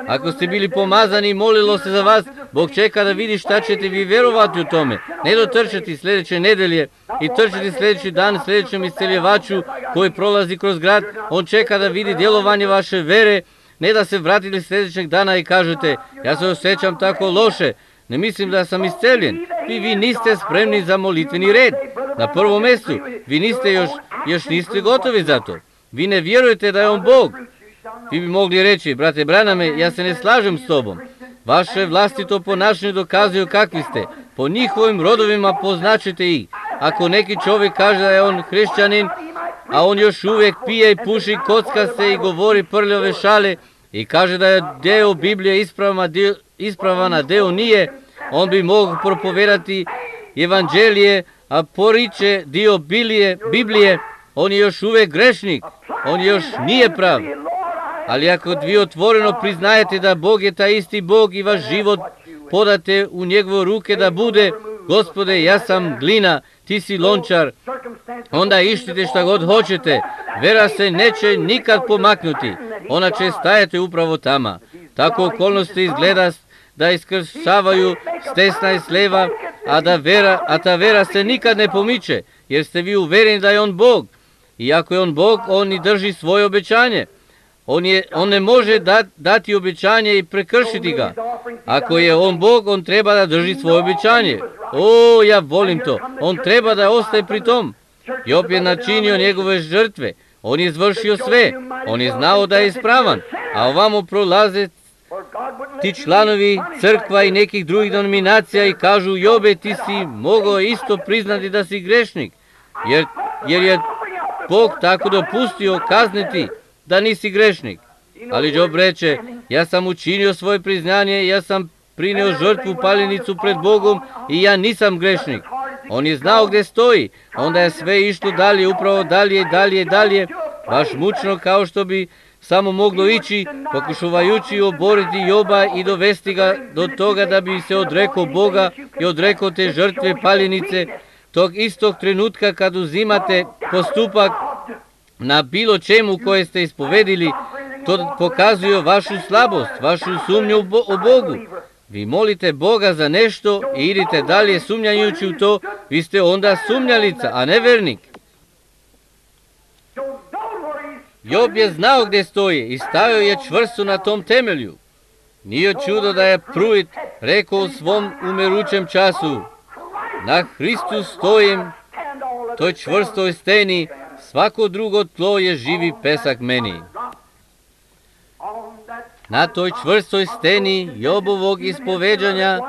Ako ste bili pomazani i molilo se za vas, Bog čeka da vidi šta ćete vi verovati u tome. Ne dotrčati sljedeće nedelje i trčati sljedeći dan sljedećem isceljevaču koji prolazi kroz grad. On čeka da vidi djelovanje vaše vere, ne da se vratili sljedećeg dana i kažete, ja se osjećam tako loše, ne mislim da sam isceljen. Vi niste spremni za molitveni red. Na prvom mjestu, vi niste još niste gotovi za to. Vi ne vjerujete da je on Bog. Vi bi mogli reći, brate Braname, ja se ne slažem s tobom. Vaše vlastito ponašanje dokazuju kakvi ste. Po njihovim rodovima poznačite ih. Ako neki čovjek kaže da je on hrišćanin, a on još uvijek pije i puši, kocka se i govori prljave šale i kaže da je deo Biblije ispravan, a deo nije, on bi mogao propovedati evanđelije, a poriče dio Biblije, on je još uvijek grešnik, on još nije prav. Ali ako vi otvoreno priznajete da Bog je taj isti Bog i vaš život podate u njegove ruke da bude, Gospode, ja sam glina, ti si lončar, onda ištite šta god hoćete, vera se neće nikad pomaknuti, ona će stajati upravo tamo. Tako okolnosti izgleda da iskršavaju s desna i s leva, a ta vera se nikad ne pomiče, jer ste vi uvereni da je on Bog. I ako je on Bog, on i drži svoje obećanje. On ne može dati obećanje i prekršiti ga. Ako je on Bog, on treba da drži svoje obećanje. O, ja volim to. On treba da ostaje pri tom. Job je načinio njegove žrtve. On je izvršio sve. On je znao da je ispravan. A ovamo prolaze ti članovi crkva i nekih drugih denominacija i kažu, Jobe, ti si mogao isto priznati da si grešnik. Jer je Bog tako dopustio kazniti da nisi grešnik. Ali Job reče, ja sam učinio svoje priznanje, ja sam prineo žrtvu paljenicu pred Bogom i ja nisam grešnik. On je znao gdje stoji, onda je sve išlo dalje, upravo dalje, baš mučno kao što bi samo moglo ići, pokušavajući oboriti Joba i dovesti ga do toga da bi se odrekao Boga i odrekao te žrtve paljenice. Tog istog trenutka kad uzimate postupak na bilo čemu koje ste ispovedili, to pokazuje vašu slabost, vašu sumnju o Bogu. Vi molite Boga za nešto i idite dalje sumnjajući u to, vi ste onda sumnjalica, a ne vernik. Job je znao gdje stoji i stajao je čvrsto na tom temelju. Nije čudo da je Pruit rekao u svom umerućem času, na Hristu stojim, toj čvrstoj steni, svako drugo tlo je živi pesak meni. Na toj čvrstoj steni Jobovog ispoveđanja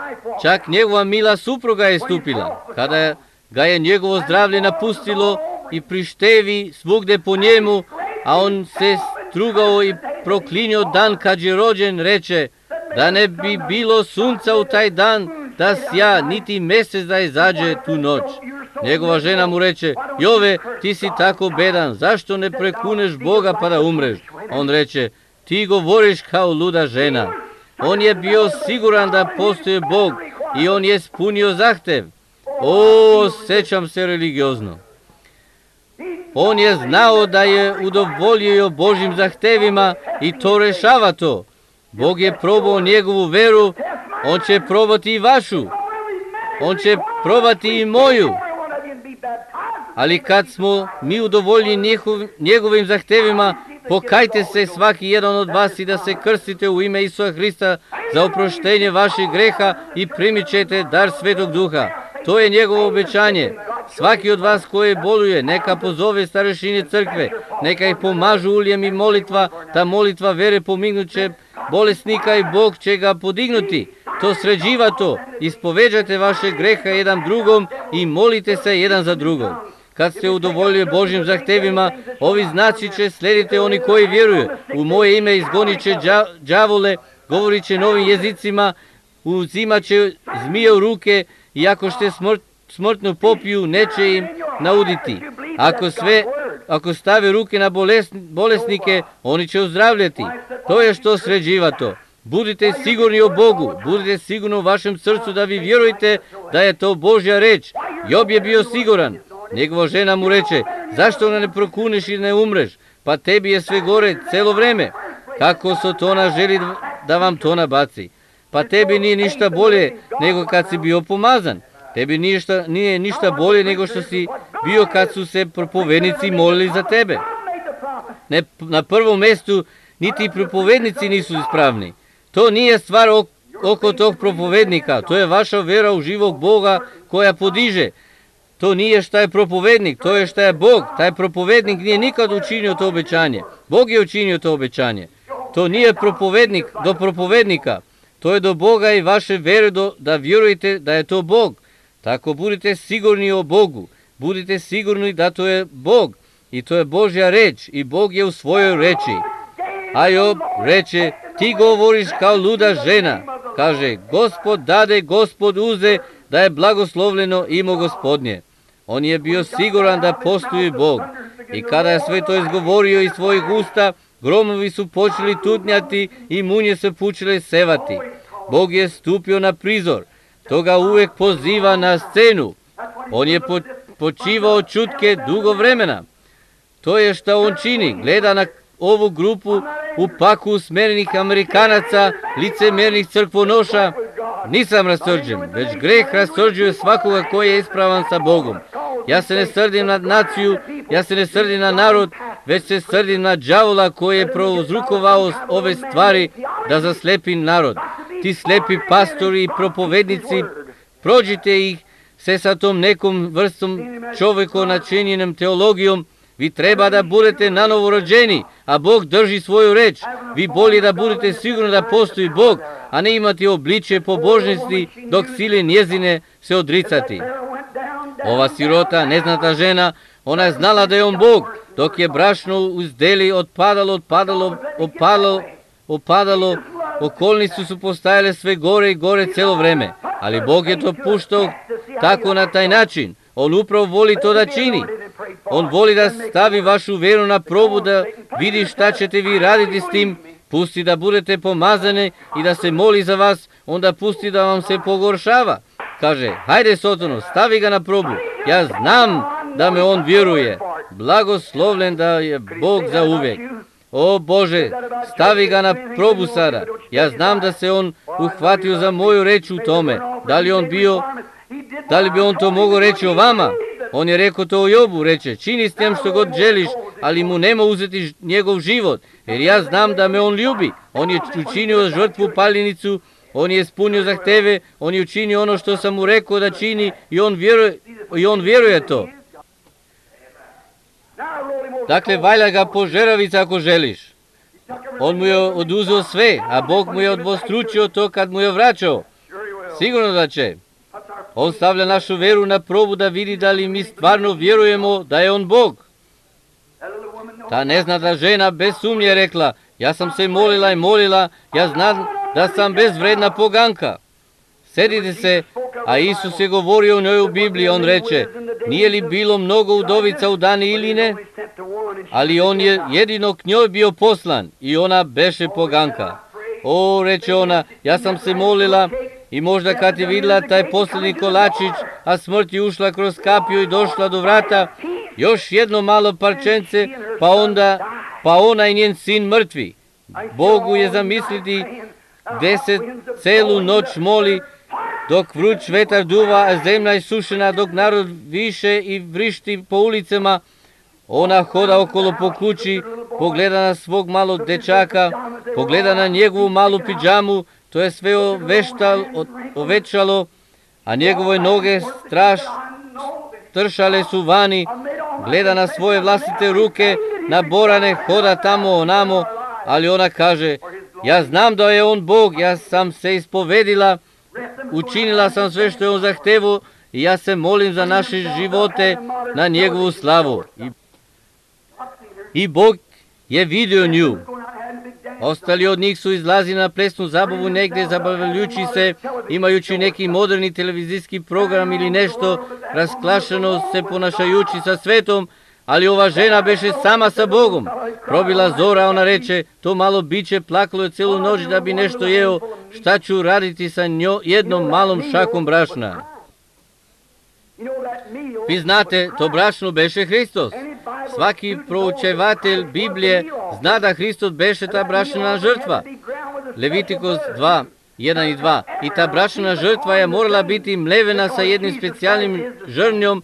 čak njegova mila supruga je stupila. Kada ga je njegovo zdravlje napustilo i prištevi svugde po njemu, a on se strugao i proklinio dan kad je rođen, reče, da ne bi bilo sunca u taj dan, da sja, niti mjesec da izađe tu noć. Njegova žena mu reče, Jove, ti si tako bedan, zašto ne prekuneš Boga pa da umreš? On reče, ti govoriš kao luda žena. On je bio siguran da postoji Bog i on je ispunio zahtev. O, osjećam se religiozno. On je znao da je udovoljio Božjim zahtevima i to rešava to. Bog je probao njegovu veru, On će probati i vašu. On će probati i moju. Ali kad smo mi udovoljni njegovim zahtevima, pokajte se svaki jedan od vas i da se krstite u ime Isusa Hrista za oproštenje vaših greha i primit ćete dar Svetog Duha. To je njegovo obećanje. Svaki od vas koji boluje, neka pozove starešine crkve, neka ih pomažu uljem i molitva, ta molitva vere pomignuće bolesnika i Bog će ga podignuti. To sređiva to. Ispoveđajte vaše greha jedan drugom i molite se jedan za drugom. Kad ste udovoljili Božjim zahtevima, ovi znaci će slediti oni koji vjeruju. U moje ime izgonit će đavole, govorit će novim jezicima, uzimat će zmije u ruke i ako ste smrtnu popiju, neće im nauditi. Ako stave ruke na bolesnike, oni će ozdravljati. To je što sređiva to. Budite sigurni o Bogu, budite sigurni u vašem srcu da vi vjerujete da je to Božja reč. Job je bio siguran. Njegova žena mu reče, zašto ne prokuneš i ne umreš? Pa tebi je sve gore celo vreme. Kako Sotona želi da vam to nabaci? Pa tebi nije ništa bolje nego kad si bio pomazan. Tebi nije ništa bolje nego što si bio kad su se propovednici molili za tebe. Na prvom mjestu niti propovednici nisu ispravni. To nije stvar oko tog propovednika. To je vaša vera u živog Boga koja podiže. To nije šta je propovednik, to je šta je Bog. Taj propovednik nije nikad učinio to obećanje. Bog je učinio to obećanje. To nije propovednik do propovednika. To je do Boga i vaše vere da vjerujete da je to Bog. Tako budite sigurni o Bogu. Budite sigurni da to je Bog. I to je Božja reč. I Bog je u svojoj reči. A Job reče, ti govoriš kao luda žena. Kaže, Gospod dade, Gospod uze, da je blagoslovljeno ime Gospodnje. On je bio siguran da postoji Bog. I kada je sve to izgovorio iz svojih usta, gromovi su počeli tutnjati i munje su počele sevati. Bog je stupio na prizor. To ga uvijek poziva na scenu. On je počivao čutke dugo vremena. To je šta on čini. Gleda na ovu grupu u paku usmjerenih Amerikanaca, licemernih crkvonoša. Nisam rasrđen, već greh rasrđuje svakoga koji je ispravan sa Bogom. Ja se ne srdim na naciju, ja se ne srdim na narod, već se srdim na đavola koji je prouzrokovao ove stvari da zaslepi narod. Ti slepi pastori i propovednici, prođite ih se sa tom nekom vrstom čovjeko načinjenom teologijom. Vi treba da budete nanovo rođeni, a Bog drži svoju reč. Vi bolje da budete sigurni da postoji Bog, a ne imati obličje pobožnosti dok sile njezine se odricati. Ova sirota, neznata žena, ona je znala da je on Bog, dok je brašno uz deli opadalo, okolnice su postajale sve gore i gore celo vreme, ali Bog je to puštao tako na taj način. On upravo voli to da čini. On voli da stavi vašu veru na probu, da vidi šta ćete vi raditi s tim. Pusti da budete pomazane i da se moli za vas, onda pusti da vam se pogoršava. Kaže, hajde Sotono, stavi ga na probu. Ja znam da me on vjeruje. Blagoslovljen da je Bog za uvijek. O Bože, stavi ga na probu sada. Ja znam da se on uhvatio za moju reč u tome. Da li bi on to mogao reći o vama? On je rekao to o Jobu, reče, čini s tem što god želiš, ali mu nema uzeti njegov život, jer ja znam da me on ljubi. On je učinio žrtvu paljenicu, on je ispunio zahteve, on je učinio ono što sam mu rekao da čini i on vjeruje to. Dakle, valja ga požeravica ako želiš. On mu je oduzeo sve, a Bog mu je odvostručio to kad mu je vraćao. Sigurno da će. On stavlja našu veru na probu da vidi da li mi stvarno vjerujemo da je on Bog. Ta neznata žena bez sumnje rekla, ja sam se molila i molila, ja znam da sam bezvredna poganka. Sedite se, a Isus je govorio o njoj u Bibliji, on reče, nije li bilo mnogo udovica u dani ili ne? Ali on je jedino k njoj bio poslan i ona beše poganka. O, reče ona, ja sam se molila i možda kad je vidjela taj posljednji kolačić, a smrt je ušla kroz kapiju i došla do vrata, još jedno malo parčence, pa ona i njen sin mrtvi. Bogu je zamisliti gde se celu noć moli, dok vruć vetar duva, a zemlja je sušena, dok narod više i vrišti po ulicama. Ona hoda okolo po kući, pogleda na svog malog dečaka, pogleda na njegovu malu pidžamu, to je sve ovećalo, a njegove noge stršale su vani, gleda na svoje vlastite ruke, naborane, hoda tamo onamo, ali ona kaže, ja znam da je on Bog, ja sam se ispovedila, učinila sam sve što je on zahtevao i ja se molim za naše živote na njegovu slavu. I Bog je vidio nju. Ostali od njih su izlazili na plesnu zabavu negde, zabavljajući se, imajući neki moderni televizijski program ili nešto, rasklašeno se ponašajući sa svetom, ali ova žena beše sama sa Bogom. Probila zora, ona reče, to malo biće plakalo je celu noć da bi nešto jeo, šta ću raditi sa jednom malom šakom brašna? Vi znate, to brašno beše Hristos. Svaki proučevatelj Biblije zna da Hristos beše ta brašna žrtva. Levitikos 2, 1 i 2. I ta brašna žrtva je morala biti mlevena sa jednim specijalnim žrnjom,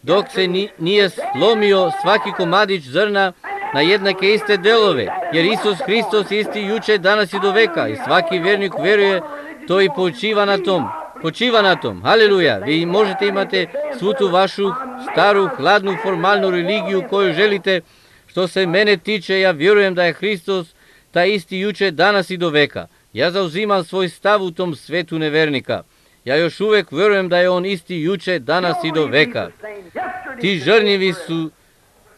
dok se nije slomio svaki komadić zrna na jednake iste delove, jer Isus Hristos isti juče, danas i do veka, i svaki vjernik veruje to i počiva na tom. Haleluja! Vi možete imati svu tu vašu staru, hladnu, formalnu religiju koju želite. Što se mene tiče, ja vjerujem da je Hristos taj isti juče, danas i do veka. Ja zauzimam svoj stav u tom svetu nevernika. Ja još uvek vjerujem da je on isti juče, danas i do veka. Ti žrnjevi su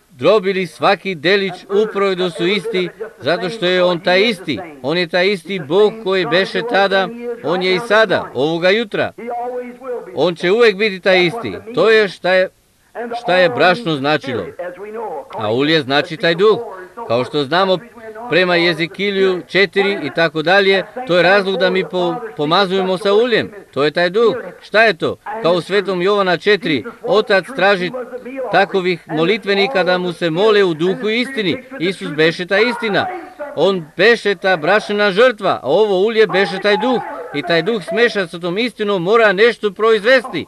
drobili svaki delić upravo da su isti, zato što je on taj isti. On je taj isti Bog koji beše tada, on je i sada, ovoga jutra. On će uvek biti taj isti. To je šta je brašno značilo. A ulje znači taj duh. Kao što znamo prema Jezekilju 4 i tako dalje, to je razlog da mi pomazujemo sa uljem. To je taj duh. Šta je to? Kao u Svetom Jovana 4, Otac traži takovih molitvenika da mu se mole u duhu i istini. Isus beše ta istina. On beše ta brašna žrtva, a ovo ulje beše taj duh. I taj duh smeša sa tom istinom mora nešto proizvesti.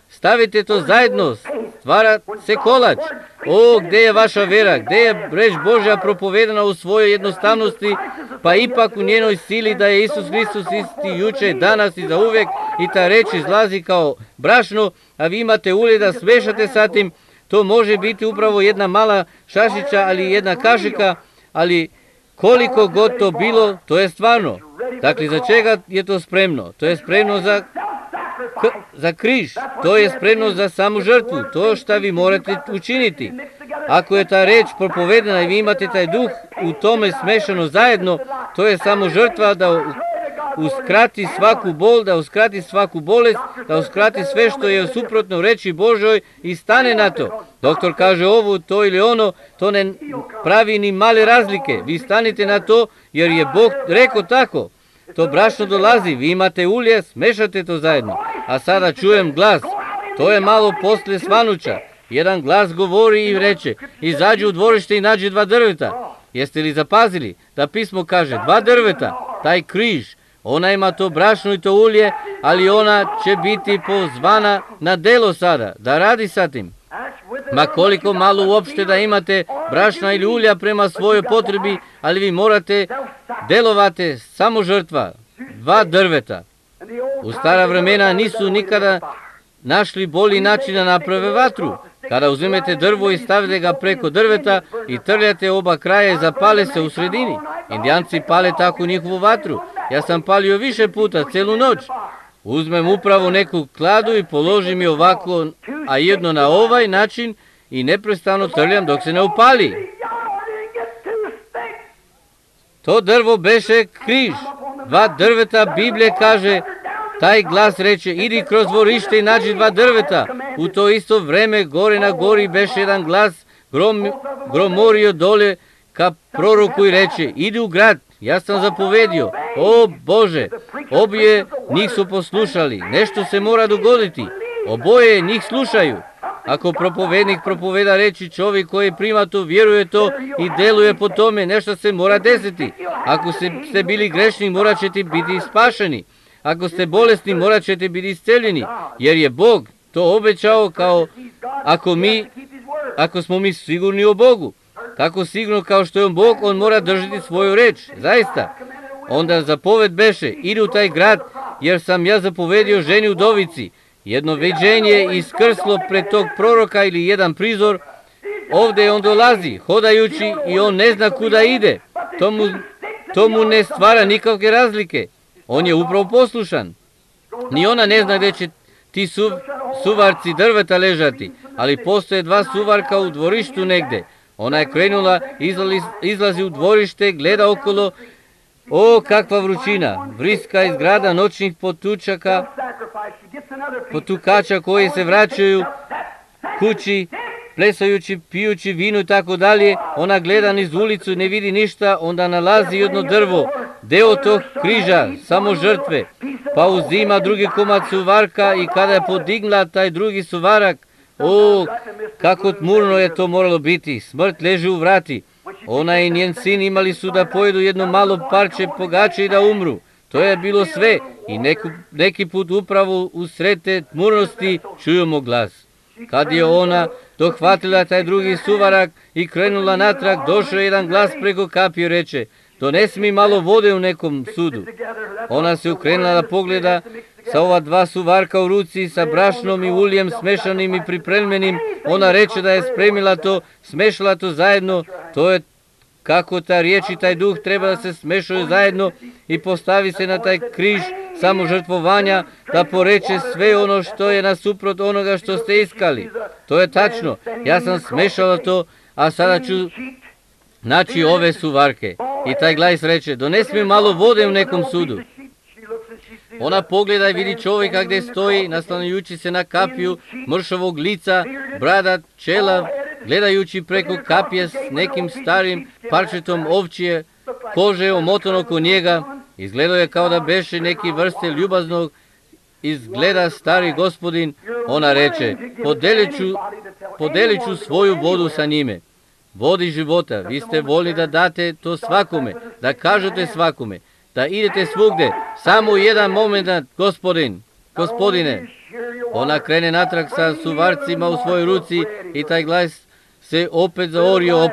Stavite to zajedno, stvara se kolač. O, gde je vaša vera, gde je reč Božja propovedana u svojoj jednostavnosti, pa ipak u njenoj sili da je Isus Hristos isti juče, danas i za uvek, i ta reč izlazi kao brašno, a vi imate ulje da smešate sa tim. To može biti upravo jedna mala šašića, ali jedna kašika, ali koliko god to bilo, to je stvarno. Dakle, za čega je to spremno? To je spremno za križ, to je spremno za samu žrtvu, to što vi morate učiniti. Ako je ta reč propovedena i vi imate taj duh u tome smešano zajedno, to je samo žrtva da uskrati svaku bol, da uskrati svaku bolest, da uskrati sve što je suprotno reči Božoj i stane na to. Doktor kaže ovo, to ili ono, to ne pravi ni male razlike. Vi stanite na to jer je Bog rekao tako. To brašno dolazi, vi imate ulje, smešate to zajedno. A sada čujem glas, to je malo posle svanuća. Jedan glas govori i reče, izađi u dvorište i nađi 2 drveta. Jeste li zapazili da pismo kaže 2 drveta, taj križ, ona ima to brašno i to ulje, ali ona će biti pozvana na delo sada, da radi sa tim. Ma koliko malo uopšte da imate brašna ili ulja prema svojoj potrebi, ali vi morate delovati samo žrtva, 2 drveta. U stara vremena nisu nikada našli bolji način da naprave vatru. Kada uzmete drvo i stavite ga preko drveta i trljate oba kraja i zapale se u sredini. Indijanci pale tako njihovu vatru. Ja sam palio više puta, celu noć. Uzmem upravo neku kladu i položim je ovako, a jedno na ovaj način i neprestano trljam dok se ne upali. To drvo beše križ. 2 drveta, Biblija kaže, taj glas reče, idi kroz dvorište i nađi 2 drveta. U to isto vreme, gore na gori beše jedan glas, gromorio dole ka proroku i reče, idi u grad, ja sam zapovedio. O Bože, obje njih su poslušali, nešto se mora dogoditi. Oboje njih slušaju. Ako propovednik propoveda reči, čovjek koji prima to, vjeruje to i deluje po tome, nešto se mora desiti. Ako ste bili grešni, morat ćete biti spašeni. Ako ste bolesni, morat ćete biti isceljeni, jer je Bog to obećao, kao ako smo mi sigurni o Bogu. Tako sigurno kao što je on Bog, on mora držati svoju reč, zaista. Onda zapoved beše, idi u taj grad, jer sam ja zapovedio ženi udovici. Jedno viđenje iskrslo pred tog proroka ili jedan prizor. Ovdje on dolazi, hodajući, i on ne zna kuda ide. To mu ne stvara nikakve razlike. On je upravo poslušan. Ni ona ne zna gdje će ti suvarci drveta ležati, ali postoje dva suvarka u dvorištu negde. Ona je krenula, izlazi u dvorište, gleda okolo. O, kakva vrućina! Vriska iz grada noćnih potukača koji se vraćaju kući, plesajući, pijući vino i tako dalje. Ona gleda niz ulicu, ne vidi ništa, onda nalazi jedno drvo, deo tog križa, samo žrtve, pa uzima drugi komad suvarka i kada je podigla taj drugi suvarak, o, kako tmurno je to moralo biti, smrt leži u vrati. Ona i njen sin imali su da pojedu jedno malo parče pogače i da umru. To je bilo sve i neki put upravo u sred te tmurnosti čujemo glas. Kad je ona dohvatila taj drugi suvarak i krenula natrag, došao je jedan glas preko kapije, reče, donesi mi malo vode u nekom sudu. Ona se ukrenula da pogleda sa ova dva suvarka u ruci, sa brašnom i uljem smešanim i pripremljenim. Ona reče da je spremila to, smešala to zajedno. To je kako ta riječ i taj duh treba da se smešaju zajedno i postavi se na taj križ samožrtvovanja, da poreče sve ono što je nasuprot onoga što ste iskali. To je tačno. Ja sam smešala to, a sada ću naći ove suvarke. I taj glas reče, donesi mi malo vode u nekom sudu. Ona pogleda i vidi čovjeka gdje stoji, naslanjujući se na kapiju, mršavog lica, bradat, čelav, gledajući preko kapije s nekim starim parčetom ovčije kože omotano oko njega. Izgledao je kao da beše neki vrste ljubaznog izgleda stari gospodin. Ona reče, podelit ću svoju vodu sa njime. Vodi života, vi ste voljni da date to svakome, da kažete svakome, da idete svugde, samo jedan moment, gospodine. Ona krene natrag sa suvarcima u svojoj ruci i taj glas se opet zaorio.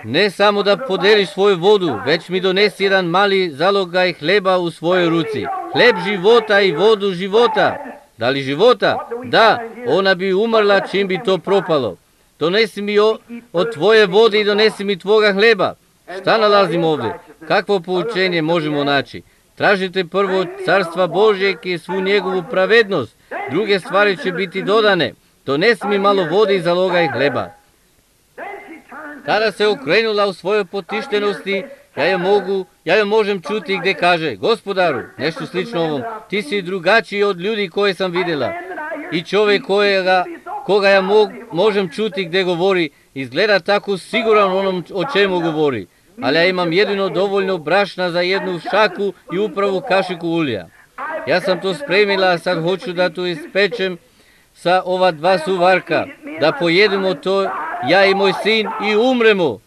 Ne samo da podeliš svoju vodu, već mi donesi jedan mali zalogaj hleba u svojoj ruci. Hleb života i vodu života. Da li života? Da, ona bi umrla čim bi to propalo. Donesi mi od tvoje vode i donesi mi tvoga hleba. Šta nalazimo ovdje? Kakvo poučenje možemo naći? Tražite prvo carstva Božjeg i svu njegovu pravednost. Druge stvari će biti dodane. Donesi mi malo vode i zalogaj hleba. Tada se okrenula u svojoj potištenosti. Ja je možem čuti gdje kaže, gospodaru, nešto slično ovom, ti si drugačiji od ljudi koje sam vidjela. I čovjek koga ja možem čuti gdje govori, izgleda tako siguran onom o čemu govori. Ali ja imam jedino dovoljno brašna za jednu šaku i upravo kašiku ulja. Ja sam to spremila, a sad hoću da to ispečem sa ova dva suvarka, da pojedemo to, ja i moj sin, i umremo.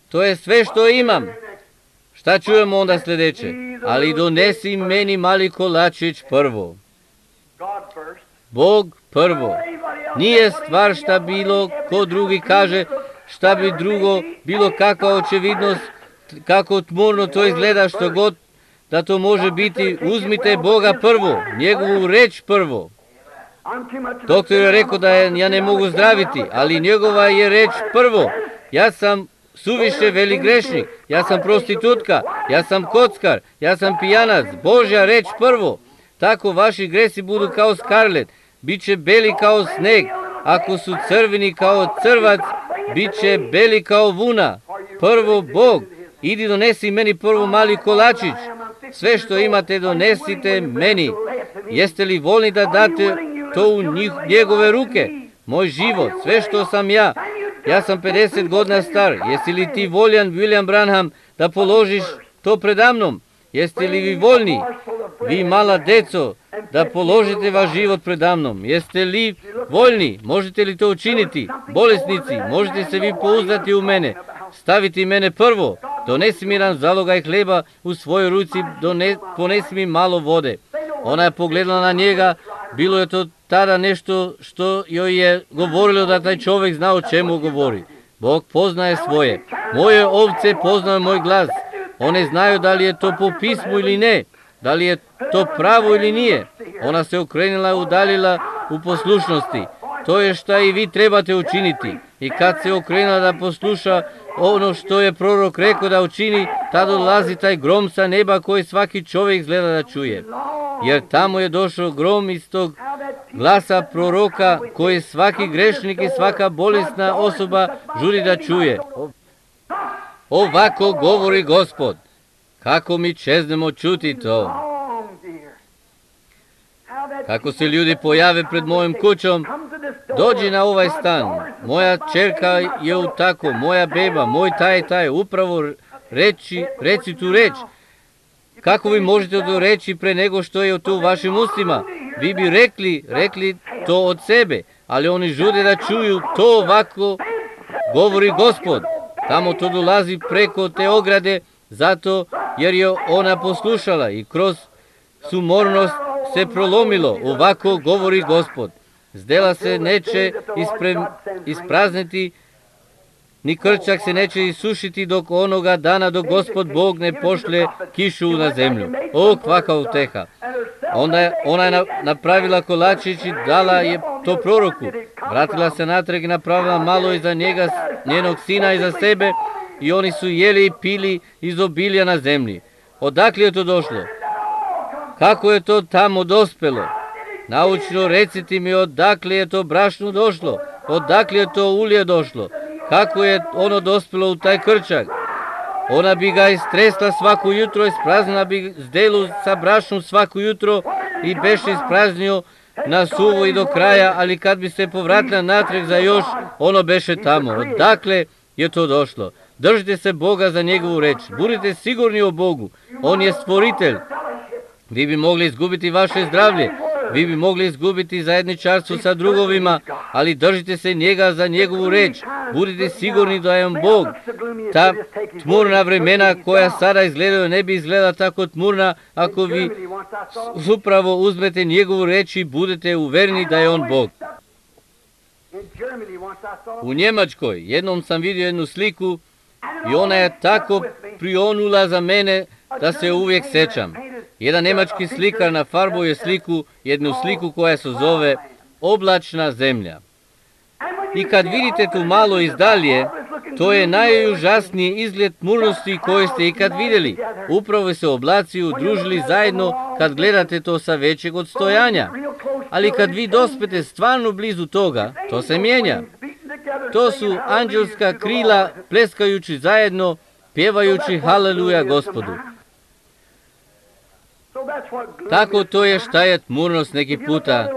To je sve što imam. Šta čujemo onda sljedeće? Ali donesi meni mali kolačić prvo. Bog prvo. Nije stvar šta bilo ko drugi kaže, šta bi drugo, bilo kakva očevidnost, kako tmurno to izgleda, što god da to može biti. Uzmite Boga prvo, njegovu reč prvo. Doktor je rekao da ja ne mogu zdraviti, ali njegova je reč prvo. Ja sam suviše velik grešnik, ja sam prostitutka, ja sam kockar, ja sam pijanac. Božja reč prvo. Tako vaši gresi budu kao skarlet, bit će beli kao sneg. Ako su crveni kao crvac, bit će beli kao vuna. Prvo Bog. Idi donesi meni prvo mali kolačić. Sve što imate donesite meni. Jeste li voljni da date to u njegove ruke? Moj život, sve što sam ja. Ja sam 50 godina star. Jesi li ti voljan, William Branham, da položiš to predamnom? Jeste li vi voljni, vi mala deco, da položite vaš život predamnom? Jeste li Voljni, možete li to učiniti? Bolesnici, možete se vi pouzdati u mene, staviti mene prvo, donesi mi jedan zalogaj hleba u svojoj ruci, ponesi mi malo vode. Ona je pogledala na njega, bilo je to tada nešto što joj je govorilo da taj čovjek zna o čemu govori. Bog poznaje svoje. Moje ovce poznaju moj glas. One znaju da li je to po pismu ili ne, da li je to pravo ili nije. Ona se okrenula i udaljila u poslušnosti. To je šta i vi trebate učiniti. I kad se okrenula da posluša ono što je prorok rekao da učini, tada dolazi taj grom sa neba koji svaki čovjek izgleda da čuje. Jer tamo je došao grom iz tog glasa proroka koji svaki grešnik i svaka bolesna osoba žuri da čuje. Ovako govori Gospod. Kako mi čeznemo čuti to. Kako se ljudi pojave pred mojom kućom, dođi na ovaj stan, moja čerka je u tako, moja beba, moj taj, upravo reci tu reč. Kako vi možete to reći pre nego što je to u vašim ustima? Vi bi rekli to od sebe, ali oni žude da čuju to ovako govori Gospod. Tamo to dolazi preko te ograde, zato jer je ona poslušala i kroz sumornost se prolomilo, ovako govori Gospod. Zdela se neće isprazniti, ni krčak se neće isušiti dok onoga dana dok Gospod Bog ne pošle kišu na zemlju. O, kvaka uteha. Ona je napravila kolačić i dala je to proroku. Vratila se natrag i napravila malo iza njega, njenog sina iza sebe, i oni su jeli i pili iz obilja na zemlji. Odakle je to došlo? Kako je to tamo dospelo? Naučno recite mi odakle je to brašno došlo, odakle je to ulje došlo, kako je ono dospelo u taj krčak. Ona bi ga istresla svako jutro, ispraznila bi zdelu sa brašnom svako jutro i beše ispraznio na suvo i do kraja, ali kad bi se povratila natrag za još, ono beše tamo. Odakle je to došlo? Držite se Boga za njegovu reč, budite sigurni o Bogu, on je stvoritelj. Vi bi mogli izgubiti vaše zdravlje, vi bi mogli izgubiti zajedničarstvo sa drugovima, ali držite se njega za njegovu reč. Budite sigurni da je on Bog. Ta tmurna vremena koja sada izgledaju ne bi izgledala tako tmurna ako vi upravo uzmete njegovu reč i budete uvereni da je on Bog. U Njemačkoj jednom sam vidio jednu sliku i ona je tako prionula za mene da se uvijek sećam. Jedan nemački slikar nafarbao je jednu sliku koja se zove Oblačna zemlja. I kad vidite tu malo izdalje, to je najužasniji izgled tmurnosti koji ste ikad vidjeli. Upravo se oblaci udružili zajedno kad gledate to sa većeg odstojanja. Ali kad vi dospete stvarno blizu toga, to se mijenja. To su anđelska krila pleskajući zajedno, pjevajući haleluja Gospodu. Tako to je šta je tmurnost neki puta.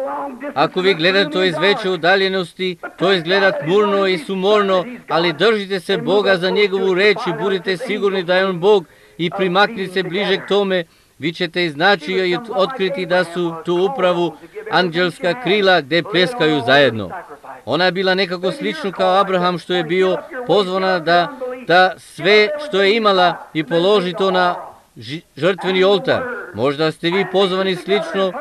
Ako vi gledate to iz veće udaljenosti, to izgleda tmurno i sumorno, ali držite se Boga za njegovu reč i budite sigurni da je on Bog i primaknite se bliže k tome, vi ćete iznaći i otkriti da su tu upravo anđelska krila gdje pleskaju zajedno. Ona je bila nekako slično kao Abraham što je bio pozvana da sve što je imala i položi to na žrtveni oltar. Možda ste vi pozvani slično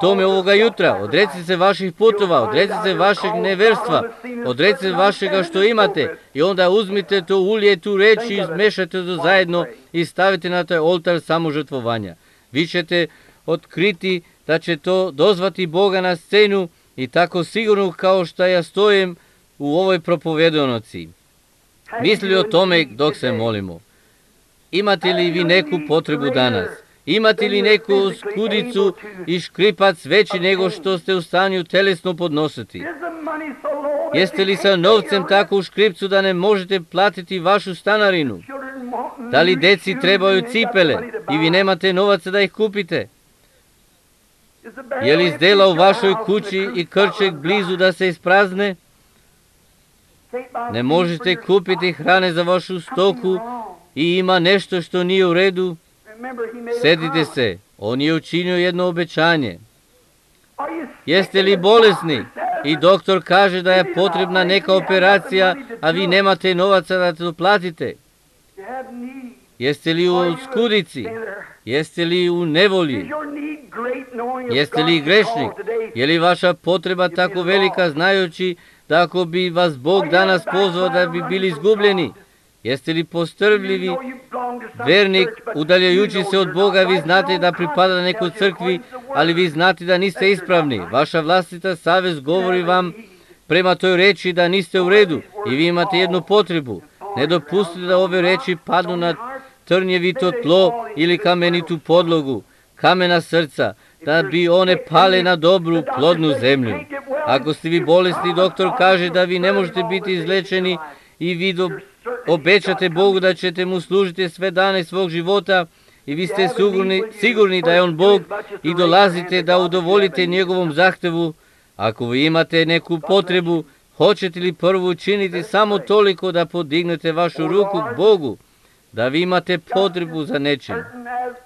tome ovoga jutra. Odrecite se vaših putova, odrecite se vašeg neverstva, odrecite se vašega što imate i onda uzmite to ulje, tu reč i izmešate to zajedno i stavite na taj oltar samožrtvovanja. Vi ćete otkriti da će to dozvati Boga na scenu i tako sigurno kao što ja stojim u ovoj propovedanoci. Misli o tome dok se molimo. Imate li vi neku potrebu danas? Imate li neku skudicu i škripac veći nego što ste u stanju telesno podnositi? Jeste li sa novcem tako u škripcu da ne možete platiti vašu stanarinu? Da li deci trebaju cipele i vi nemate novaca da ih kupite? Je li zdela u vašoj kući i krček blizu da se isprazne? Ne možete kupiti hrane za vašu stoku i ima nešto što nije u redu? Sjetite se, on je učinio jedno obećanje. Jeste li bolesni? i doktor kaže da je potrebna neka operacija, a vi nemate novaca da to platite? Jeste li u skudici? Jeste li u nevolji? Jeste li grešnik? Je li vaša potreba tako velika, znajući da ako bi vas Bog danas pozvao da bi bili izgubljeni? Jeste li postrvljivi vernik, udaljajući se od Boga? Vi znate da pripada nekoj crkvi, ali vi znate da niste ispravni. Vaša vlastita savest govori vam prema toj reči da niste u redu i vi imate jednu potrebu. Ne dopustite da ove reči padnu na trnjevito tlo ili kamenitu podlogu, kamena srca, da bi one pale na dobru, plodnu zemlju. Ako ste vi bolesni, doktor kaže da vi ne možete biti izlečeni i vi obećate Bogu da ćete mu služiti sve dane svog života i vi ste sigurni da je on Bog i dolazite da udovoljite njegovom zahtevu. Ako vi imate neku potrebu, hoćete li prvo učiniti samo toliko da podignete vašu ruku k Bogu, da vi imate potrebu za nečim?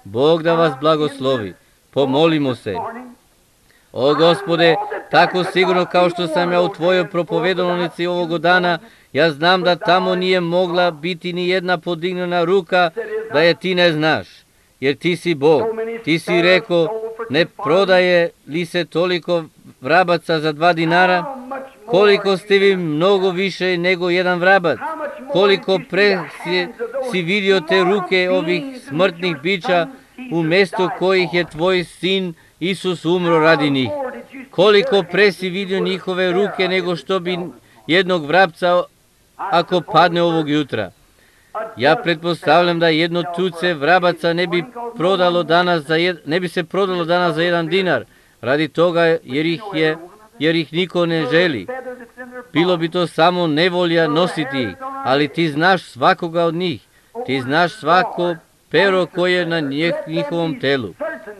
Bog da vas blagoslovi. Pomolimo se. O Gospode, tako sigurno kao što sam ja u tvojoj propovedonici ovoga dana, ja znam da tamo nije mogla biti ni jedna podignjena ruka da je ti ne znaš, jer ti si Bog. Ti si rekao, ne prodaje li se toliko vrabaca za 2 dinara? Koliko ste vi mnogo više nego jedan vrabac? Koliko pre si vidio te ruke ovih smrtnih bića umjesto kojih je tvoj sin Isus umro radi njih? Koliko pre si vidio njihove ruke nego što bi jednog vrapca ako padne ovog jutra? Ja pretpostavljam da jedno tuce vrabaca ne bi se prodalo danas za 1 dinar, radi toga jer ih niko ne želi. Bilo bi to samo nevolja nositi ih, ali ti znaš svakoga od njih. Ti znaš svako pero koje je na njihovom telu.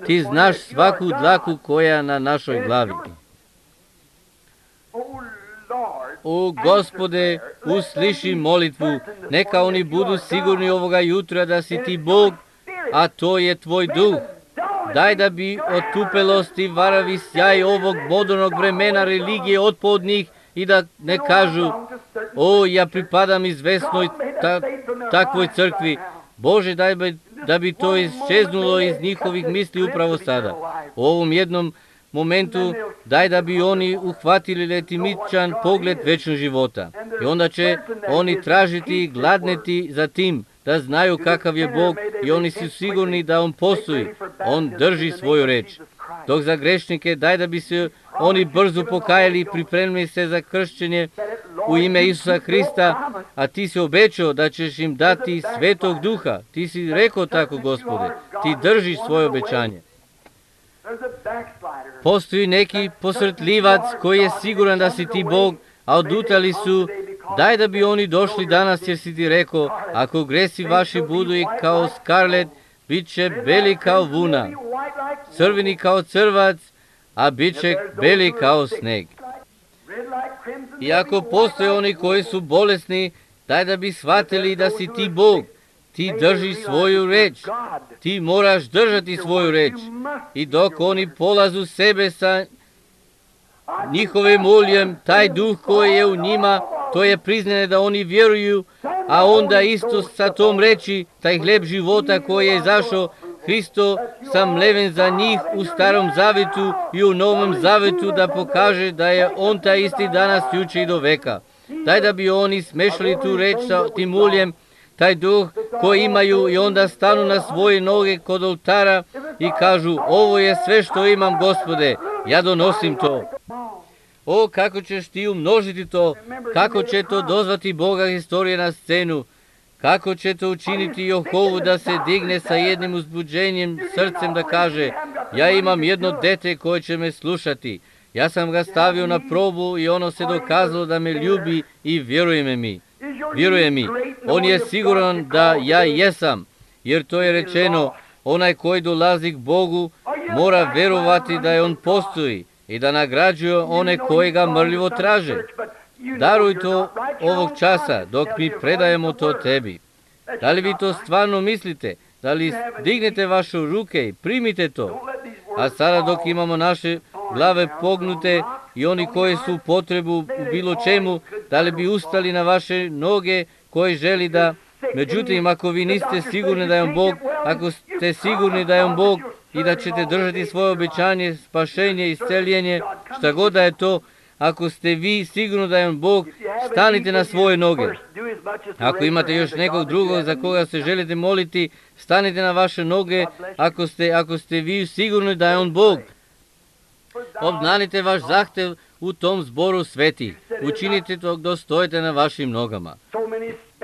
Ti znaš svaku dlaku koja je na našoj glavi. O Gospode, usliši molitvu, neka oni budu sigurni ovoga jutra da si ti Bog, a to je tvoj duh. Daj da bi otupelosti, varavi sjaj ovog modernog vremena religije otpao od njih i da ne kažu, o, ja pripadam izvesnoj takvoj crkvi. Bože, daj da bi to iščeznulo iz njihovih misli upravo sada. U ovom jednom momentu daj da bi oni uhvatili letimičan pogled večnog života. I onda će oni tražiti i gladneti za tim, da znaju kakav je Bog i oni su sigurni da on postoji. On drži svoju reč. Dok za grešnike daj da bi se oni brzo pokajali i pripremili se za kršćenje u ime Isusa Hrista, a ti si obećao da ćeš im dati Svetog Duha. Ti si rekao tako, Gospode. Ti držiš svoje obećanje. Postoji neki posrtljivac koji je siguran da si ti Bog, a odutali su. Daj da bi oni došli danas, jer si ti rekao, ako gresi vaši budu i kao skarlet, bit će beli kao vuna, crveni kao crvac, a bit će beli kao sneg. I ako postoje oni koji su bolesni, daj da bi shvatili da si ti Bog. Ti držiš svoju reč. Ti moraš držati svoju reč. I dok oni polazu sebe sa njihovim muljem, taj duh koji je u njima, to je priznanje da oni vjeruju, a onda isto sa tom reči, taj hljeb života koji je izašao, Hristo sam leven za njih u Starom Zavetu i u Novom Zavetu da pokaže da je on taj isti danas, juče i do veka. Daj da bi oni smešali tu reč sa tim uljem, taj duh koji imaju i onda stanu na svoje noge kod oltara i kažu, ovo je sve što imam, Gospode, ja donosim to. O, kako ćeš ti umnožiti to, kako će to dozvati Boga historije na scenu, kako će to učiniti Jehovu da se digne sa jednim uzbuđenjem srcem da kaže, ja imam jedno dete koje će me slušati, ja sam ga stavio na probu i ono se dokazalo da me ljubi i vjeruje mi. On je siguran da ja jesam, jer to je rečeno, onaj koji dolazi k Bogu mora verovati da je on postoji i da nagrađuje one koje ga mrljivo traže. Daruj to ovog časa dok mi predajemo to tebi. Da li vi to stvarno mislite? Da li dignete vaše ruke i primite to? A sada dok imamo naše glave pognute, i oni koji su u potrebu u bilo čemu, da li bi ustali na vaše noge koji želi da... Međutim, ako vi niste sigurni da je on Bog, ako ste sigurni da je on Bog i da ćete držati svoje obećanje, spašenje, isceljenje, šta god da je to, ako ste vi sigurni da je on Bog, stanite na svoje noge. Ako imate još nekog drugog za koga se želite moliti, stanite na vaše noge, ako ste vi sigurni da je on Bog. Obznanite vaš zahtev u tom zboru svetih. Učinite to dok stojite na vašim nogama.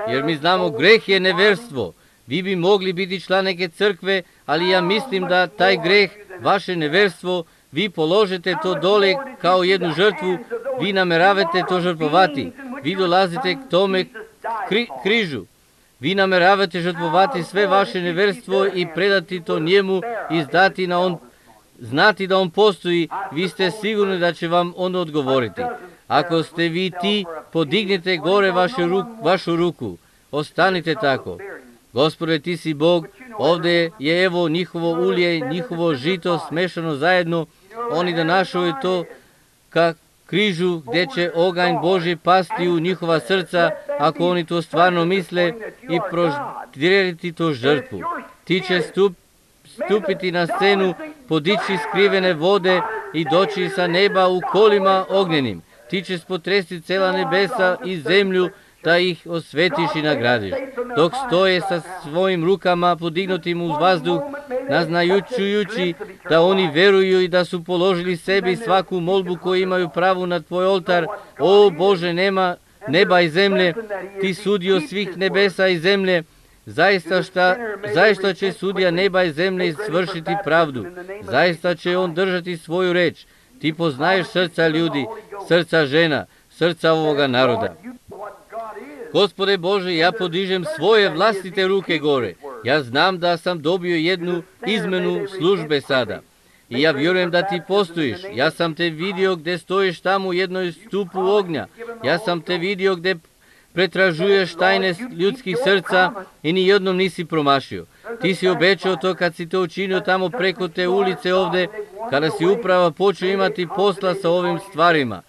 Jer mi znamo, greh je neverstvo. Vi bi mogli biti član neke crkve, ali ja mislim da taj greh, vaše neverstvo, vi položite to dole kao jednu žrtvu, vi nameravate to žrtvovati. Vi dolazite k tome križu. Vi nameravate žrtvovati sve vaše neverstvo i predati to njemu i znati da on postoji. Vi ste sigurni da će vam on odgovoriti. Ako ste vi ti, podignite gore vašu ruku. Ostanite tako. Gospode, ti si Bog, ovdje je evo njihovo ulje, njihovo žito smešano zajedno. Oni da našaju to ka križu gdje će oganj Božji pasti u njihova srca, ako oni to stvarno misle, i proždiriti to žrtvu. Ti će stupiti na scenu, podići skrivene vode i doći sa neba u kolima ognjenim. Ti ćeš potresti cela nebesa i zemlju, da ih osvetiš i nagradiš. Dok stoje sa svojim rukama podignutim uz vazduh, naznajući da oni veruju i da su položili sebi svaku molbu koju imaju pravo na tvoj oltar. O Bože, nema neba i zemlje, ti sudio svih nebesa i zemlje. Zaista će sudija neba i zemlje svršiti pravdu. Zaista će on držati svoju reč. Ti poznaješ srca ljudi, srca žena, srca ovoga naroda. Gospode Bože, ja podižem svoje vlastite ruke gore. Ja znam da sam dobio jednu izmenu službe sada. I ja vjerujem da ti postojiš. Ja sam te vidio gdje stojiš tamo u jednoj stupu ognja. Ja sam te vidio gdje pretražuješ tajne ljudskih srca i ni jednom nisi promašio. Ti si obećao to kad si to učinio tamo preko te ulice ovdje, kada si upravo počeo imati posla sa ovim stvarima.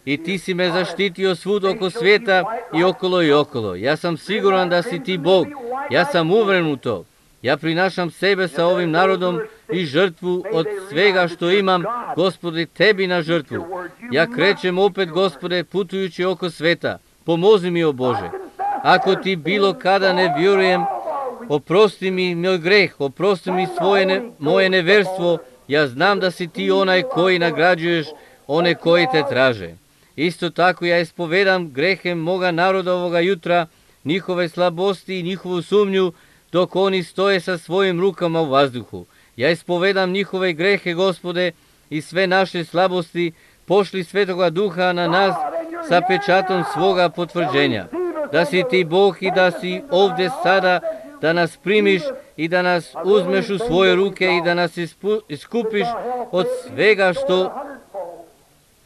I ti si me zaštitio svud oko svijeta i okolo. Ja sam siguran da si ti Bog. Ja sam uveren u to. Ja prinašam sebe sa ovim narodom i žrtvu od svega što imam, Gospode, tebi na žrtvu. Ja krećem opet, Gospode, putujući oko sveta. Pomozi mi, o Bože. Ako ti bilo kada ne vjerujem, oprosti mi moj greh, oprosti mi moje neverstvo. Ja znam da si ti onaj koji nagrađuješ one koji te traže. Isto tako ja ispovedam grehe moga naroda ovoga jutra, njihove slabosti i njihovu sumnju, dok oni stoje sa svojim rukama u vazduhu. Ja ispovedam njihove grehe, Gospode, i sve naše slabosti, pošli Svetoga Duha na nas sa pečatom svoga potvrđenja. Da si ti Bog i da si ovdje sada, da nas primiš i da nas uzmeš u svoje ruke i da nas iskupiš od svega što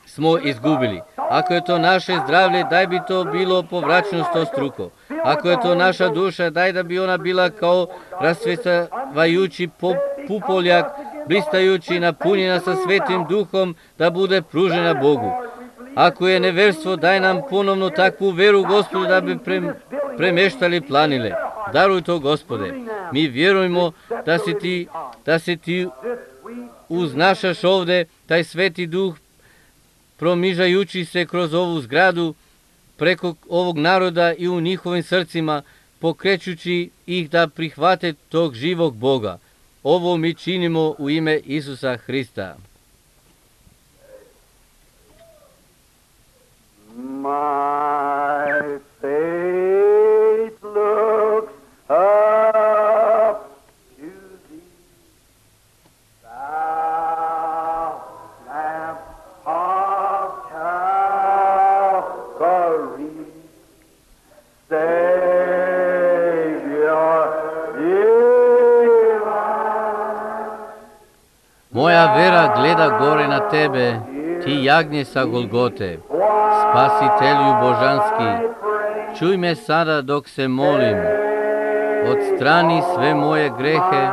smo izgubili. Ako je to naše zdravlje, daj bi to bilo povraćeno 100-struko. Ako je to naša duša, daj da bi ona bila kao rasvetavajući pupoljak, blistajući, napunjena sa Svetim Duhom, da bude pružena Bogu. Ako je neverstvo, daj nam ponovno takvu veru, Gospodu, da bi premeštali planine. Daruj to, Gospode. Mi vjerujemo da si ti uznašaš ovdje, taj Sveti Duh, promižajući se kroz ovu zgradu, preko ovog naroda i u njihovim srcima, pokrećući ih da prihvate tog živog Boga. Ovo mi činimo u ime Isusa Hrista. My faith looks up to thee, thou lamp of Calvary, Savior divine. Moja vera gleda gore na tebe, ti jagnje sa Golgote, Spasitelju božanski, čuj me sada dok se molim, odstrani sve moje grehe,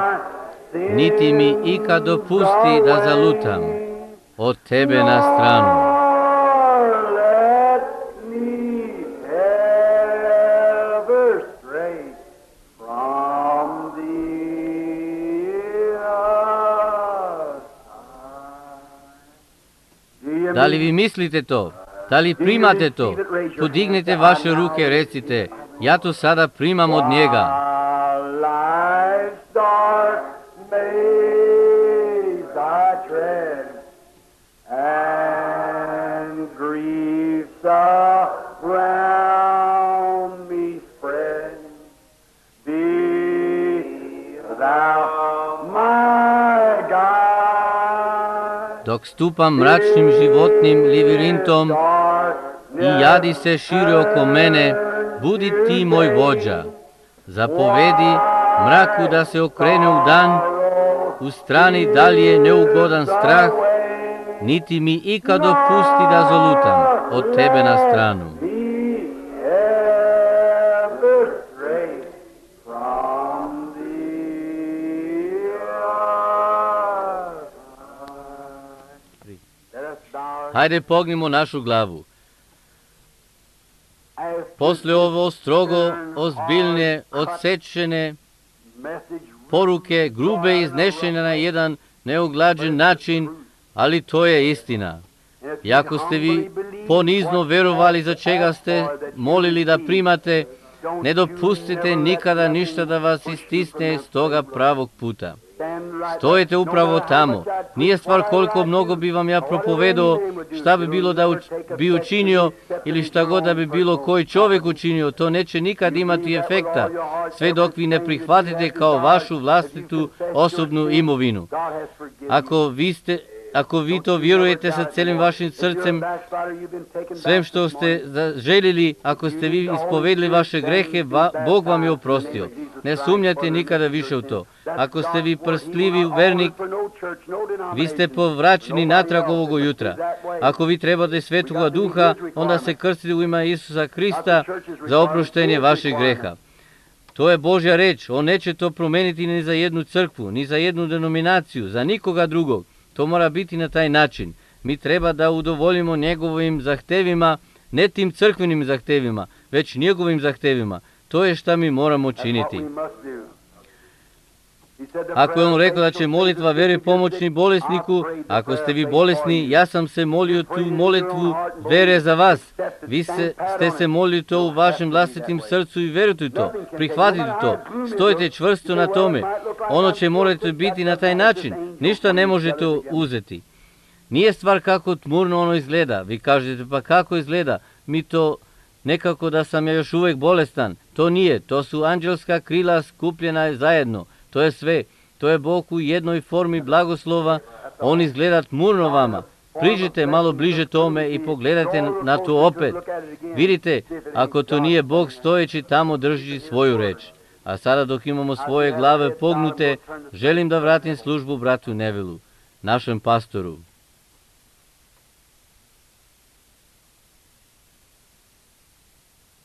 niti mi ikad dopusti da zalutam. od tebe na stranu. Let me ever stray from thee aside. Do you Da li vi mislite to? Da li primate to? Podignite vaše ruke, recite, ja to sada primam od njega. Life's dark maze I tread, and griefs around me spread. Be thou my guide. Dok stupam mračnim životnim labirintom i jadi se šire oko mene, budi ti moj vođa. Zapovedi mraku da se okrene u dan, u strani dalje neugodan strah, niti mi ikad dopusti da zolutam od tebe na stranu. Hajde pognimo našu glavu. Posle ovo strogo, ozbiljne, odsečene poruke, grube iznešene na jedan neuglađen način, ali to je istina. I ako ste vi ponizno verovali za čega ste molili da primate, ne dopustite nikada ništa da vas istisne s toga pravog puta. Stojite upravo tamo. Nije stvar koliko mnogo bi vam ja propovedao, šta bi bilo da bi učinio ili šta god da bi bilo koji čovjek učinio, to neće nikad imati efekta, sve dok vi ne prihvatite kao vašu vlastitu osobnu imovinu. Ako vi to vjerujete sa celim vašim srcem, svem što ste željeli, ako ste vi ispovedili vaše grehe, Bog vam je oprostio. Ne sumnjate nikada više u to. Ako ste vi prstljivi vernik, vi ste povraćeni natrag ovog jutra. Ako vi trebate Svetoga Duha, onda se krstite u ime Isusa Krista za oproštenje vaših greha. To je Božja reč. On neće to promeniti ni za jednu crkvu, ni za jednu denominaciju, za nikoga drugog. To mora biti na taj način. Mi treba da udovoljimo njegovim zahtevima, ne tim crkvenim zahtevima, već njegovim zahtevima. To je šta mi moramo činiti. Ako je on rekao da će molitva vere pomoćni bolesniku, ako ste vi bolesni, ja sam se molio tu molitvu vere za vas. Vi ste se molili to u vašem vlastitim srcu i verujte to, prihvatite to, stojite čvrsto na tome. Ono će morati biti na taj način, ništa ne možete uzeti. Nije stvar kako tmurno ono izgleda, vi kažete pa kako izgleda, mi to nekako da sam ja još uvijek bolestan. To nije, to su anđelska krila skupljena zajedno. To je sve. To je Bog u jednoj formi blagoslova. On izgleda tmurno vama. Priđite malo bliže tome i pogledajte na to opet. Vidite, ako to nije Bog stojeći tamo drži svoju reč. A sada dok imamo svoje glave pognute, želim da vratim službu bratu Nevilu, našem pastoru.